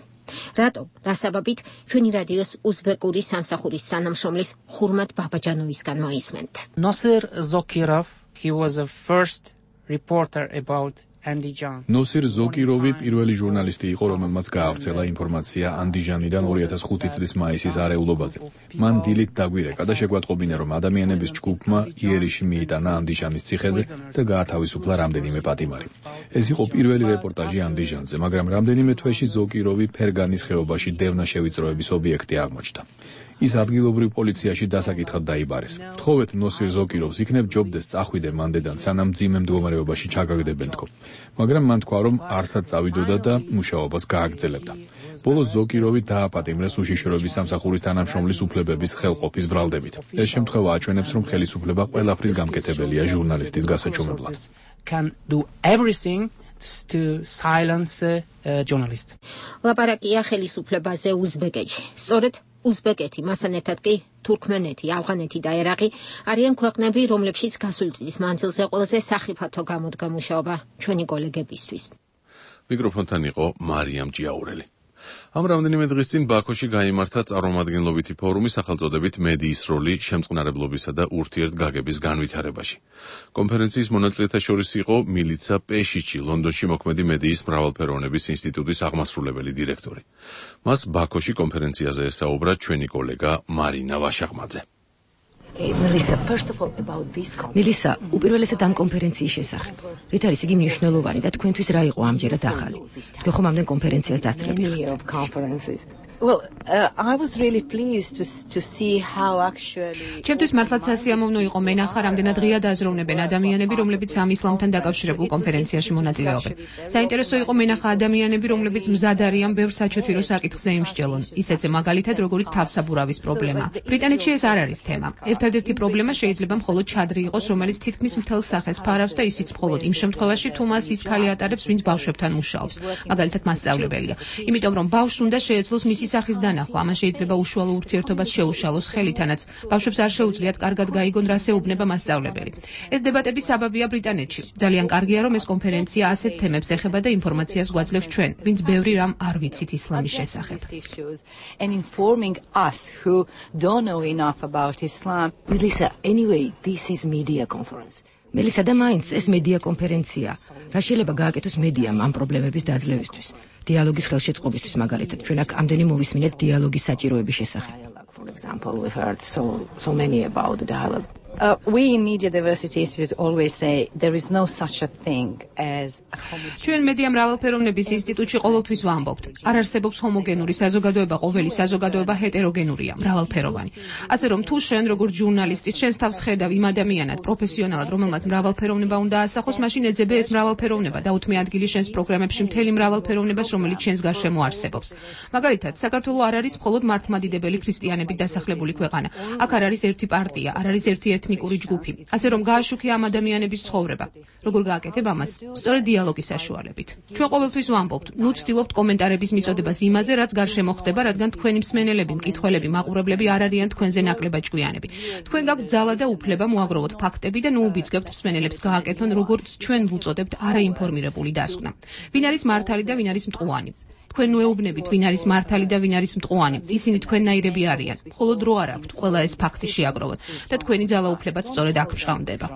Speaker 21: რატო? რა საბაბით? ჩვენი რადიოს უზბეკური სამსახურის თანამშრომლის ხურმატ ბაბაჯანოვისგან მოისმენთ.
Speaker 11: Nosir Zokirov, he was the first reporter about
Speaker 18: ნოსիր ზოკიროვი პირველი ჟურნალისტი იყო, რომელმაც გაავრცელა ინფორმაცია ანდიჟანიდან 2005 წლის მაისის არეულობაზე. მან დილით დაგვირეკა და შეგვატყობინა, რომ ადამიანების ჯგუფმა იერიში მიიტანა ანდიჟანის ციხეზე და გაათავისუფლა რამდენიმე პატიმარი. ეს იყო პირველი რეპორტაჟი ანდიჟანზე, მაგრამ რამდენიმე თვეში ზოკიროვი ფერგანის ხეობაში დევნაშევიწროების ობიექტი აღმოჩნდა. ის ადგილობრივ პოლიციაში დასაკითხად დაიბარეს. თხოვეთ ნოსիր ზოკიროვს, იქნებ ჯობდეს წახვიდე მანდედან, სანამ მძიმე მდგომარეობაში ჩაგაგდებენ თქო. მაგრამ მან თქვა, რომ არსად წავიდოდა და მუშაობას გააგრძელებდა. ბოლოს ზოკიროვი დააპატიმრეს უშიშროების სამსახურის თანამშრომლის უფლებების ხელყოფის ბრალდებით. ეს შემთხვევა აჩვენებს, რომ ხელისუფლება ყველაფრის გამკეთებელია ჟურნალისტის გასაჩუმებლად.
Speaker 11: to silence journalists.
Speaker 21: ლაპარაკია ხელისუფლებაზე უზბეკეთში. სწორედ უზბეკეთი, მასთან ერთად კი თურქმენეთი, ავღანეთი და ერაყი არიან ქვეყნები, რომლებშიც გასული წლის მანძილზე ყველაზე სახიფათო გამოდგა მუშაობა ჩვენი კოლეგებისთვის.
Speaker 1: მიკროფონთან იყო მარიამ ჭიაურელი. ამ რამდენიმე დღის წინ ბაქოში გაიმართა წარმომადგენლობითი ფორუმი სახელწოდებით მედიის როლი შემწყნარებლობისა და ურთიერთგაგების განვითარებაში. კონფერენციის მონაწილეთა შორის იყო მილიცა პეშიჩი, ლონდონში მოქმედი მედიის მრავალფეროვნების ინსტიტუტის აღმასრულებელი დირექტორი. მას ბაქოში კონფერენციაზე ესაუბრა ჩვენი კოლეგა მარინა ვაშაღმაძე.
Speaker 13: მილისა, უპირველესად ამ კონფერენციის შესახებ. რით არის იგი მნიშვნელოვანი და თქვენთვის რა იყო ამჯერად ახალი? თქვენ ხომ ამდენ კონფერენციას დასწრებით?
Speaker 14: ჩემთვის მართლაც სასიამოვნო იყო მენახა, რამდენად ღია დააზროვნებენ ადამიანები, რომლებიც ამ ისლამთან დაკავშირებულ კონფერენციაში მონაწილეობენ. საინტერესო იყო მენახა ადამიანები, რომლებიც მზად არიან ბევრ საჩოთირო საკითხზე იმსჯელონ, ისეთზე მაგალითად როგორც თავსაბურავის პრობლემა. ბრიტანეთში ეს არ არის თემა. ერთადერთი პრობლემა შეიძლება მხოლოდ ჩადრი იყოს, რომელიც თითქმის მთელ სახეს ფარავს და ისიც მხოლოდ იმ შემთხვევაში, თუ მას ის ქალი ატარებს, ვინც ბავშვებთან მუშაობს, მაგალითად მასწავლებელია. იმიტომ რომ ბავშვს უნდა შეეძლოს მისი სახის დანახვა, ამან შეიძლება უშუალო ურთიერთობას შეუშალოს ხელითანაც. ბავშვებს არ შეუძლიათ კარგად გაიგონ, რას ეუბნება მასწავლებელი. ეს დებატების საბაბია ბრიტანეთში. ძალიან კარგია, რომ ეს კონფერენცია ასეთ თემებს ეხება და ინფორმაციას გვაძლევს ჩვენ, ვინც ბევრი რამ არ ვიცით ისლამის შესახებ.
Speaker 13: Melissa, anyway, this is media conference. Melissa, და მაინც ეს მედია კონფერენცია. რა შეიძლება გააკეთოს მედიამ ამ პრობლემების დაძლევისთვის? დიალოგის ხელშეწყობისთვის მაგალითად, ჩვენ აქ ამდენი მოვისმინეთ დიალოგის საჭიროების შესახებ.
Speaker 21: For example, we've heard so many about the dialogue.
Speaker 25: We in Media Diversity Institute always say there is no such a thing as
Speaker 14: ჩვენ მედია მრავალფეროვნების ინსტიტუტში ყოველთვის ვამბობთ, არ არსებობს ჰომოგენური საზოგადოება, ყოველი საზოგადოება ჰეტეროგენურია, მრავალფეროვანი. ასე რომ თუ შენ როგორც ჟურნალისტი შენს თავს ხედავ იმ ადამიანად, პროფესიონალად, რომელმაც მრავალფეროვნება უნდა ასახოს, მაშინ ეძებე ეს მრავალფეროვნება და უთმე ადგილი შენს პროგრამებში მთელი მრავალფეროვნებას, რომელიც შენს გარშემო არსებობს. მაგალითად, საქართველო არ არის მხოლოდ მართლმადიდებელი ქრისტიანებით დასახლებული ქვეყანა. აქ არ არის ერთი პარტია, არ არის ერთი ეთნიკური ჯგუფი. ასე რომ გააშუქია ამ ადამიანების ცხოვრება. როგორ გააკეთებ ამას? სწორედ დიალოგის საშუალებით. ჩვენ ყოველთვის ვამბობთ, ნუ ცდილობთ კომენტარების მიწოდებას იმაზე, რაც გარშემო ხდება, რადგან თქვენი მსმენელები, მკითხველები, მაყურებლები არ არიან თქვენზე ნაკლებად ჭკვიანები. თქვენ გაქვთ ძალა და უფლება მოაგროვოთ ფაქტები და ნუ უბიძგებთ მსმენელებს გააკეთონ, როგორც ჩვენ ვუწოდებთ არაინფორმირებული დასკვნა. ვინ არის მართალი და ვინ არის მტყუანი? თქვენ უეუბნებით, ვინ არის მართალი და ვინ არის მტყუანი. ისინი თქვენნაირები არიან. მხოლოდ დრო არ აქვთ ყველა ეს ფაქტი შეაგროვოთ და თქვენი ძალაუფლებაც სწორედ აქ მჟღავნდება.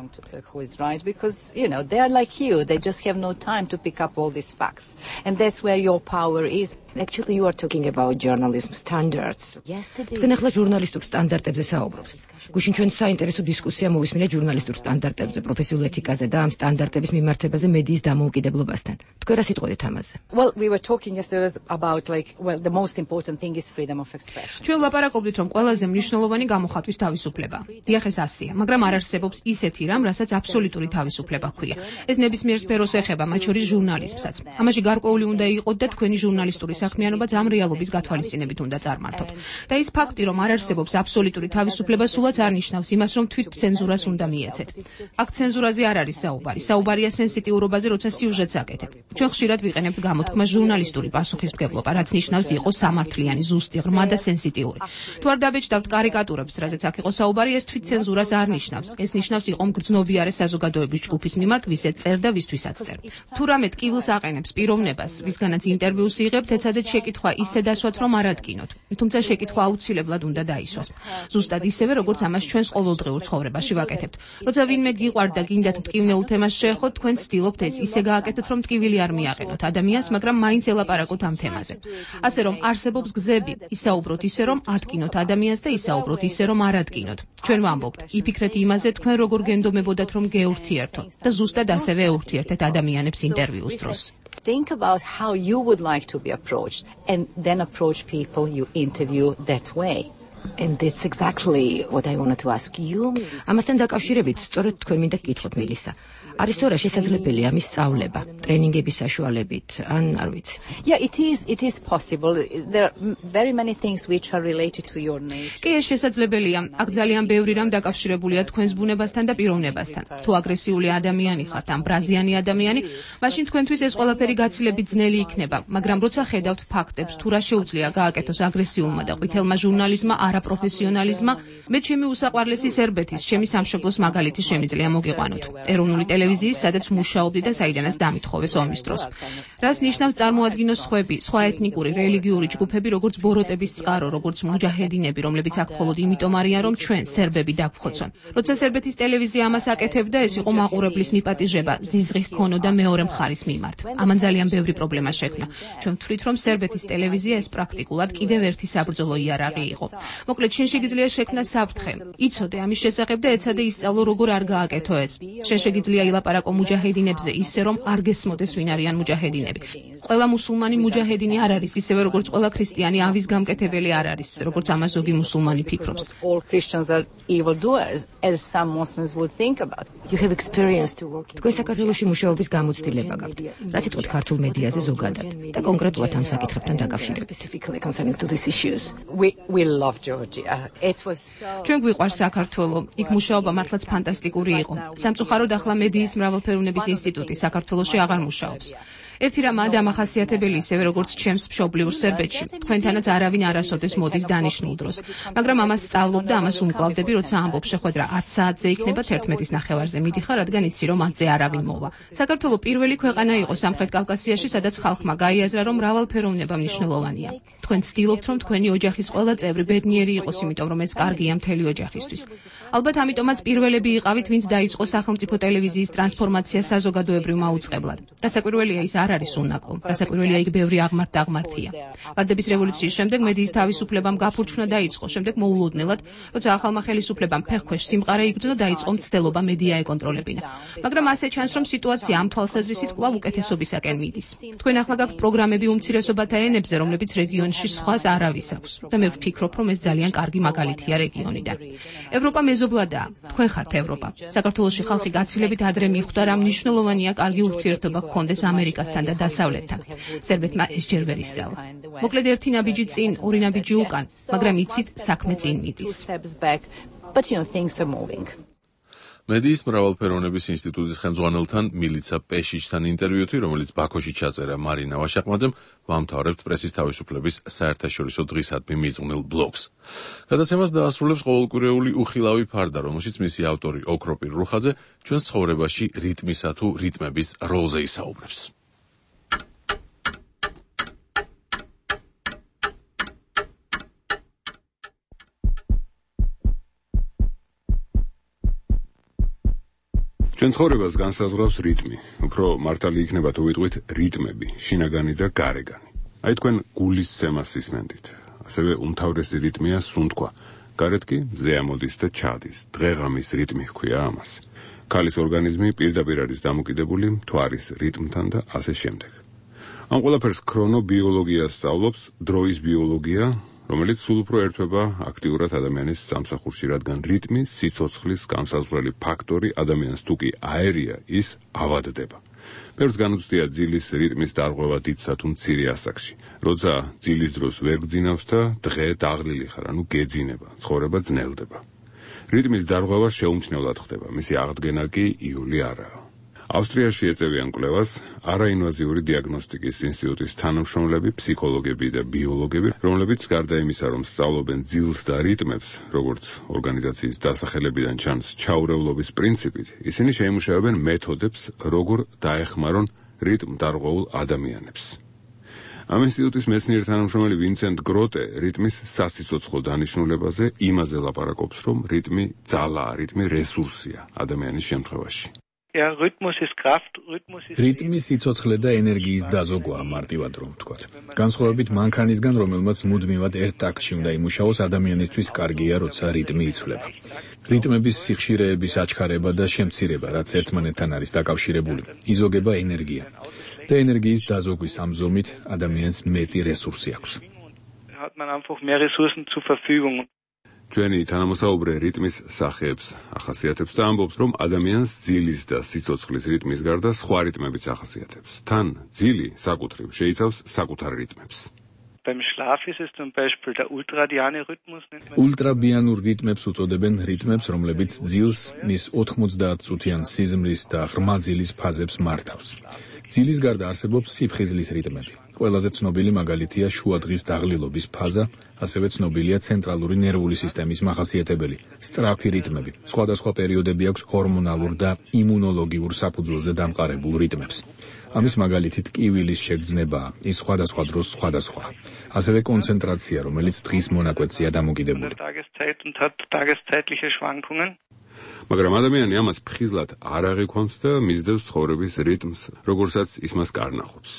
Speaker 25: Who is right because they are like you, they just have no time to pick up all these facts, and that's where your power is. Actually, you are talking about journalism standards.
Speaker 13: თქვენ ახლა ჟურნალისტურ სტანდარტებზე საუბრობთ. გუშინ ჩვენ საინტერესო დისკუსია მოვისმინეთ ჟურნალისტურ სტანდარტებზე, პროფესიულ ეთიკაზე და ამ სტანდარტების მიმართებაზე მედიის დამოუკიდებლობასთან. თქვენ რა სიტყვით ამაზე?
Speaker 25: Well, we were talking yesterday about the most important thing is freedom of expression.
Speaker 14: ჩვენ ლაპარაკობდით, რომ ყველაზე მნიშვნელოვანი გამოხატვის თავისუფლება. დიახ, ეს ასია, მაგრამ არ არსებობს ისეთი რამ, რასაც აბსოლუტური თავისუფლება ჰქვია. ეს ნებისმიერ სფეროს ეხება, მათ შორის ჟურნალიზმსაც. ამაში გარკვეული უნდა იყოთ და თქვენი ჟურნალისტური საქმიანობაც ამ რეალობის გათვალისწინებით უნდა წარმართოთ. და ის ფაქტი, რომ არ არსებობს აბსოლუტური თავისუფლება, სულაც არ ნიშნავს იმას, რომ თვით ცენზურას უნდა მიეცეთ. აქ ცენზურაზე არ არის საუბარი. საუბარია სენსიტიურობაზე, როცა სიუჟეტს აკეთებ. ჩვენ ხშირად ვიყენებთ გამოთქმას ჟურნალისტური პასუხისმგებლობა, რაც ნიშნავს იყოს სამართლიანი, ზუსტი, ღრმა და სენსიტიური. თუ არ დაბეჭდავთ კარიკატურებს, რაზეც აქ იყო საუბარი, ეს თვით ცენზურას არ ნიშნავს. ეს ნიშნავს იყო მგრძნობიარე საზოგადოების ჯგუფის მიმართ, ვისაც წერს და ვისთვისაც წერს. თუ რამე ტკივილს აყენებს პიროვნებას, ვისგანაც ინტერვიუს იღებთ, ეცადეთ შეკითხვა ისე დასვათ, რომ არ ადგინოთ. თუმცა შეკითხვა აუცილებლად უნდა დაისვას. ზუსტად ისევე, როგორც ამას ჩვენს ყოველდღიურ ცხოვრებაში ვაკეთებთ. როცა ვინმე გიყვართ და გინდათ მტკივნეულ თემას შეეხოთ, თქვენ ცდილობთ ეს ისე გააკეთოთ, რომ ტკივილი არ მიაყენოთ ადამიანს, მაგრამ მაინც ელაპარაკოთ ამ თემაზე. ასე რომ არსებობს გზები, ისაუბროთ ისე, რომ ადგინოთ ადამიანს და ისაუბროთ ისე, რომ არ ადგინოთ. ჩვენ ვამბობთ, იფიქრეთ იმაზე, თქვენ როგორ გენდომებოდათ, რომ გეურთიერთოთ და ზუსტად ასევე ეურთიერთეთ ადამიანებს ინტერვიუს დროს.
Speaker 25: Think about how you would like to be approached and then approach people you interview that way. And that's exactly what I wanted to ask you.
Speaker 13: ამასთან დაკავშირებით, სწორედ თქვენ მინდა გკითხოთ მილისა. არის თუ არა შესაძლებელია ამის სწავლება, ტრენინგების საშუალებით, ან არ ვიცი.
Speaker 25: Yeah, it is possible. There are very many things which are related to your nature.
Speaker 14: კი, ეს შესაძლებელია. აქ ძალიან ბევრი რამ დაკავშირებულია თქვენს ბუნებასთან და პიროვნებასთან. თუ აგრესიული ადამიანი ხართ, ან ბრაზიანი ადამიანი, მაშინ თქვენთვის ეს ყველაფერი გაცილებით ძნელი იქნება, მაგრამ როცა ხედავთ ფაქტებს, თუ რა შეუძლია გააკეთოს აგრესიულმა და ყვითელმა ჟურნალისტმა, არაპროფესიონალიზმმა, მე ჩემი უსაყვარლესი სერბეთის, ჩემი სამშობლოს მაგალითი შემიძლია მოგიყვანოთ. ეროვნული ტელევიზიის, სადაც მუშაობდი და საიდანაც დამითხოვეს ომის დროს. რას ნიშნავს წარმოადგინოს სხვები, სხვა ეთნიკური, რელიგიური ჯგუფები, როგორც ბოროტების წყარო, როგორც მუჯაჰედინები, რომლებიც აქ მხოლოდ იმიტომ არიან, რომ ჩვენ სერბები დაგვრხოცონ. როცა სერბეთის ტელევიზია ამას აკეთებდა, ეს იყო მაყურებლის მიპატიჟება, ზიზღი ჰქონოდა მეორე მხარის მიმართ. ამან ძალიან ბევრი პრობლემა შექმნა. ჩვენ ვთვლით, რომ სერბეთის ტელევიზია ეს პრაქტიკულად კიდევ ერთი საბრძოლო იარაღი იყო. მოკლედ, შენ შეგიძლია შექმნა საფრთხე. იცოდე ამის შესახებ და ეცადე ისწავლო, როგორ არ გააკეთო ეს. შენ შეგიძლია ილაპარაკო მუჯაჰედინებზე ისე, რომ არ გესმოდეს ვინ არიან მუჯაჰედინები. ყველა მუსულმანი მუჯაჰედინი არ არის, ისევე როგორც ყველა ქრისტიანი ავის გამკეთებელი არ არის, როგორც ამას ზოგი მუსულმანი ფიქრობს.
Speaker 25: All Christians are evildoers, as some Muslims would think about.
Speaker 13: You have experience to work. თქვენ საქართველოში მუშაობის გამოცდილება გაქვთ. რა სიტყვით ქართულ მედიაზე ზოგადად და კონკრეტულად ამ საკითხებთან დაკავშირებით.
Speaker 25: Specifically concerning to these issues. We love Georgia. It was
Speaker 14: ჩვენ გვიყვარს საქართველო. იქ მუშაობა მართლაც ფანტასტიკური იყო. სამწუხაროდ ახლა მედიის მრავალფეროვნების ინსტიტუტი საქართველოში აღარ მუშაობს. ერთი რამაა დამახასიათებელი ისევე როგორც ჩემს მშობლიურ სერბეთში. თქვენთანაც არავინ არასოდეს მოდის დანიშნულ დროს. მაგრამ ამას სწავლობ და ამას უმკლავდები, როცა ამბობ შეხვედრა 10 საათზე იქნება 11:30-ზე მიდიხარ, რადგან იცი რომ 10-ზე არავინ მოვა. საქართველო პირველი ქვეყანა იყო სამხრეთ კავკასიაში, სადაც ხალხმა გაიაზრა, რომ მრავალფეროვნება მნიშვნელოვანია. თქვენ ცდილობთ, რომ თქვენი ოჯახის ყველა წევრი ბედნიერი იყოს, იმიტომ რომ ეს კარგია მთელი ოჯახისთვის. ალბათ ამიტომაც პირველები იყავით, ვინც დაიწყო სახელმწიფო ტელევიზიის ტრანსფორმაცია საზოგადოებრივ მაუწყებლად. რასაკვირველია, ის არ არის უნაკლო. რასაკვირველია, იქ ბევრი აღმართ-დაღმართია. ვარდების რევოლუციის შემდეგ მედიის თავისუფლებამ გაფურჩნა დაიწყო, შემდეგ მოულოდნელად, როცა ახალმა ხელისუფლებამ ფეხქვეშ სიმყარე იგრძნო, დაიწყო მცდელობა მედია ეკონტროლებინა. მაგრამ ასე ჩანს, რომ სიტუაცია ამ თვალსაზრისით კვლავ უკეთესობისაკენ მიდის. თქვენ ახლა გაქვთ პროგრამები უმცირესობათა ენებზე, რომლებიც რეგიონში სხვას არავის აქვს. და მე ვფიქრობ, რომ ეს ძალიან კარგი მაგალითია რეგიონიდან. ევროპა მეზობლადაა. თქვენ ხართ ევროპა. საქართველოში ხალხი გაცილებით ადრე მიხვდა, რა მნიშვნელოვანია კარგი ურთიერთობა გქონდეს ამერიკასთან და დასავლეთთან. სერბეთმა ეს ჯერ ვერ ისწავლა. მოკლედ ერთი ნაბიჯი წინ, ორი ნაბიჯი უკან, მაგრამ იცით, საქმე წინ მიდის.
Speaker 25: But things are moving.
Speaker 1: მედიის მრავალფეროვნების ინსტიტუტის ხელმძღვანელთან მილიცა პეშიჩთან ინტერვიუთი, რომელიც ბაქოში ჩაწერა მარინა ვაშაყმაძემ, ვამთავრებთ პრესის თავისუფლების საერთაშორისო დღისადმი მიძღვნილ ბლოგს. გადაცემას დაასრულებს ყოველკვირეული უხილავი ფარდა, რომელშიც მისი ავტორი ოქროპირ რუხაძე ჩვენს ცხოვრებაში რიტმისა თუ რიტმების როლზე ისაუბრებს.
Speaker 17: ჩვენ ცხოვრებას განსაზღვრავს რიტმი. უფრო მართალი იქნება თუ ვიტყვით რიტმები, შინაგანი და გარეგანი. აი თქვენ გულისცემას ისმენდით. ასევე უმთავრესი რიტმია სუნთქვა. გარეთ კი მზე ამოდის და ჩადის. დღეღამის რიტმი ჰქვია ამას. ქალის ორგანიზმი პირდაპირ არის დამოკიდებული მთვარის რიტმთან და ასე შემდეგ. ამ ყველაფერს ქრონობიოლოგია სწავლობს, დროის ბიოლოგია, რომელიც სულ უფრო ერთვება აქტიურად ადამიანის სამსახურში, რადგან რიტმი, სიცოცხლის განსაზღვრელი ფაქტორი ადამიანს თუ კი აერია, ის ავადდება. ბევრს განუცდია ძილის რიტმის დარღვევა დიდსა თუ მცირე ასაკში. როცა ძილის დროს ვერ გძინავს და დღე დაღლილი ხარ, ანუ გეძინება, ცხოვრება ძნელდება. რიტმის დარღვევა შეუმჩნევლად ხდება, მისი აღდგენა კი იული არაა. ავსტრიაში ეწევიან კვლევას არაინვაზიური დიაგნოსტიკის ინსტიტუტის თანამშრომლები, ფსიქოლოგები და ბიოლოგები, რომლებიც გარდა იმისა, რომ სწავლობენ ძილს და რიტმებს, როგორც ორგანიზაციის დასახელებიდან ჩანს ჩაურევლობის პრინციპით, ისინი შეიმუშავებენ მეთოდებს, როგორ დაეხმარონ რიტმდარღვეულ ადამიანებს. ამ ინსტიტუტის მეცნიერი თანამშრომელი ვინსენტ გროტე რიტმის სასიცოცხლო დანიშნულებაზე იმაზე ლაპარაკობს, რომ რიტმი ძალაა, რიტმი რესურსია ადამიანის შემთხვევაში.
Speaker 18: რიტმი სიცოცხლე და ენერგიის დაზოგვაა, მარტივად რომ ვთქვათ. განსხვავებით მანქანისგან, რომელმაც მუდმივად ერთ ტაქტში უნდა იმუშაოს, ადამიანისთვის კარგია, როცა რიტმი იცვლება. რიტმების სიხშირეების აჩქარება და შემცირება, რაც ერთმანეთთან არის დაკავშირებული, იზოგება ენერგია. და ენერგიის დაზოგვის ამ ზომით ადამიანს მეტი რესურსი აქვს.
Speaker 17: ჩვენი თანამოსაუბრე რიტმის სახეებს ახასიათებს და ამბობს, რომ ადამიანს ძილის და სიცოცხლის რიტმის გარდა სხვა რიტმებიც ახასიათებს. თან ძილი საკუთრივ შეიცავს საკუთარ რიტმებს.
Speaker 18: ულტრაბიანურ რიტმებს უწოდებენ რიტმებს, რომლებიც ძილს მის 90 წუთიან სიზმრის და ღრმა ძილის ფაზებს მართავს. ძილის გარდა არსებობს სიფხიზლის რიტმები. ყველაზე ცნობილი მაგალითია შუადღის დაღლილობის ფაზა, ასევე ცნობილია ცენტრალური ნერვული სისტემის მახასიათებელი სწრაფი რიტმები. სხვადასხვა პერიოდები აქვს ჰორმონალურ და იმუნოლოგიურ საფუძველზე დამყარებულ რიტმებს. ამის მაგალითით კივილის შეგრძნებაა, ის სხვადასხვა დროს სხვადასხვა. ასევე კონცენტრაცია, რომელიც დღის მონაკვეთზეა დამოკიდებული.
Speaker 17: მაგრამ ადამიანი ამას ფხიზლად არ აღიქვამს და მისდევს ცხოვრების რიტმს, როგორცაც ის მას კარნახობს.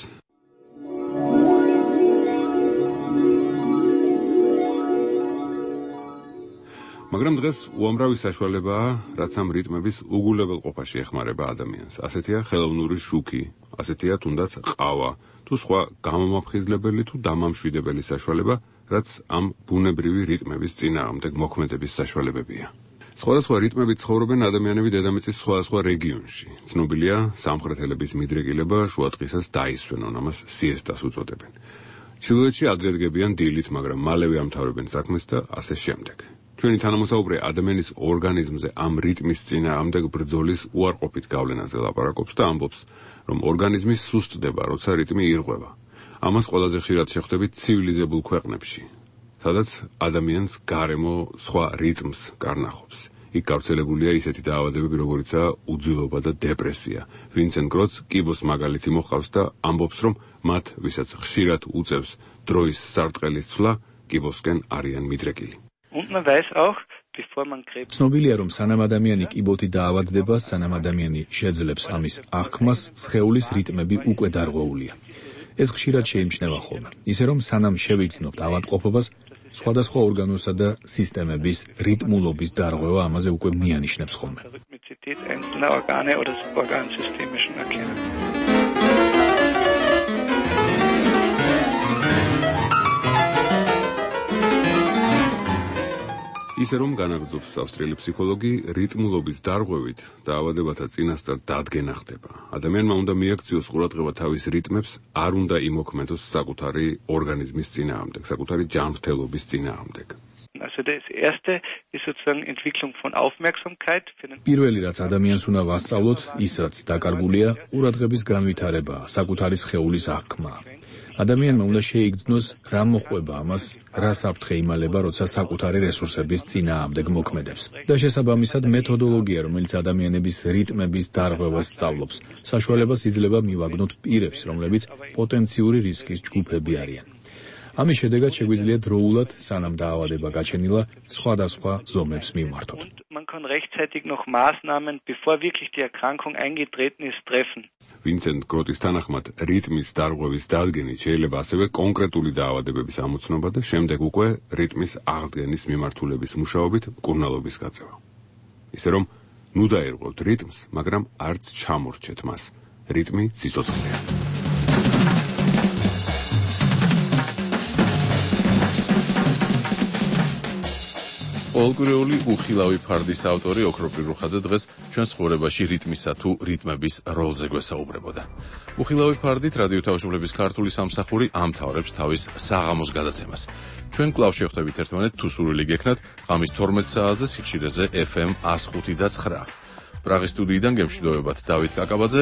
Speaker 17: მაგრამ დღეს უამრავი საშუალებაა, რაც ამ რიტმების უგულებელყოფაში ეხმარება ადამიანს. ასეთია ხელოვნური შუქი, ასეთია თუნდაც ყავა, თუ სხვა გამომაფხიზლებელი თუ დამამშვიდებელი საშუალება, რაც ამ ბუნებრივი რიტმების წინააღმდეგ მოქმედების საშუალებებია. სხვადასხვა რიტმებით ცხოვრობენ ადამიანები დედამიწის სხვადასხვა რეგიონში. ცნობილია სამხრეთელების მიდრეკილება შუადღისას დაისვენონ, ამას სიესტას უწოდებენ. ჩრდილოეთში ადრე დგებიან დილით, მაგრამ მალევე ამთავრებენ საქმეს და ასე შემდეგ. ჩვენი თანამოსაუბრე ადამიანის ორგანიზმზე ამ რიტმის წინააღმდეგ ბრძოლის უარყოფით გავლენაზე ლაპარაკობს და ამბობს, რომ ორგანიზმი სუსტდება, როცა რიტმი ირღვევა. ამას ყველაზე ხშირად შეხვდებით ცივილიზებულ ქვეყნებში, სადაც ადამიანს გარემო სხვა რიტმს კარნახობს. იქ გავრცელებულია ისეთი დაავადებები, როგორიცაა უძილობა და დეპრესია. ვინსენტ გროტს კიბოს მაგალითი მოჰყავს და ამბობს, რომ მათ, ვისაც ხშირად უწევს დროის სარტყელის ცვლა, კიბოსკენ არიან მიდრეკილი.
Speaker 18: ცნობილია, რომ სანამ ადამიანი კიბოთი დაავადდება, სანამ ადამიანი შეძლებს ამის აღქმას, სხეულის რიტმები უკვე დარღვეულია. ეს ხშირად შეიმჩნევა ხოლმე. ისე რომ სანამ შევიგრძნობთ ავადმყოფობას, სხვადასხვა ორგანოსა და სისტემების რიტმულობის დარღვევა ამაზე უკვე მიანიშნებს ხოლმე.
Speaker 17: ისე რომ განაგრძობს ავსტრიელი ფსიქოლოგი, რიტმულობის დარღვევით დაავადებათა წინასწარ დადგენა ხდება. ადამიანმა უნდა მიაქციოს ყურადღება თავის რიტმებს, არ უნდა იმოქმედოს საკუთარი ორგანიზმის წინააღმდეგ, საკუთარი ჯანმრთელობის წინააღმდეგ.
Speaker 20: Also das erste ist sozusagen Entwicklung von Aufmerksamkeit für den
Speaker 18: პირველი რაც ადამიანს უნდა ვასწავლოთ, ის რაც დაკარგულია, ყურადღების განვითარებაა, საკუთარი სხეულის აღქმა. ადამიანმა უნდა შეიგრძნოს რა მოყვება ამას, რა საფრთხე იმალება, როცა საკუთარი რესურსების წინააღმდეგ მოქმედებს. და შესაბამისად მეთოდოლოგია, რომელიც ადამიანების რიტმების დარღვევას სწავლობს, საშუალებას იძლევა მივაგნოთ პირებს, რომლებიც პოტენციური რისკის ჯგუფები არიან. ამის შედეგად შეგვიძლია დროულად, სანამ დაავადება გაჩენილა, სხვადასხვა ზომებს მივმართოთ.
Speaker 20: Man kann rechtzeitig noch Maßnahmen, bevor wirklich die Erkrankung eingetreten ist, treffen.
Speaker 17: ვინსენტ გროტის თანახმად, რიტმის დარღვევის დადგენით შეიძლება ასევე კონკრეტული დაავადებების ამოცნობა და შემდეგ უკვე რიტმის აღდგენის მიმართულების მუშაობით მკურნალობის გაწევა. ისე რომ, ნუ დაერღვევთ რიტმს, მაგრამ არც ჩამორჩეთ მას. რიტმი სიცოცხლეა.
Speaker 1: პოლკურეული უხილავი ფარდის ავტორი ოქროპრი რუხაძე დღეს ჩვენს ცხოვრებაში რიტმისა თუ რიტმების როლზე გვესაუბრებოდა. უხილავი ფარდით რადიო თავისუფლების ქართული სამსახური ამთავრებს თავის საღამოს გადაცემას. ჩვენ კვლავ შევხვდებით ერთმანეთ თუ სურვილი გექნათ ღამის 12 საათზე სიხშირეზე FM 105.9. პრაღის სტუდიიდან გემშვიდობებათ დავით კაკაბაძე.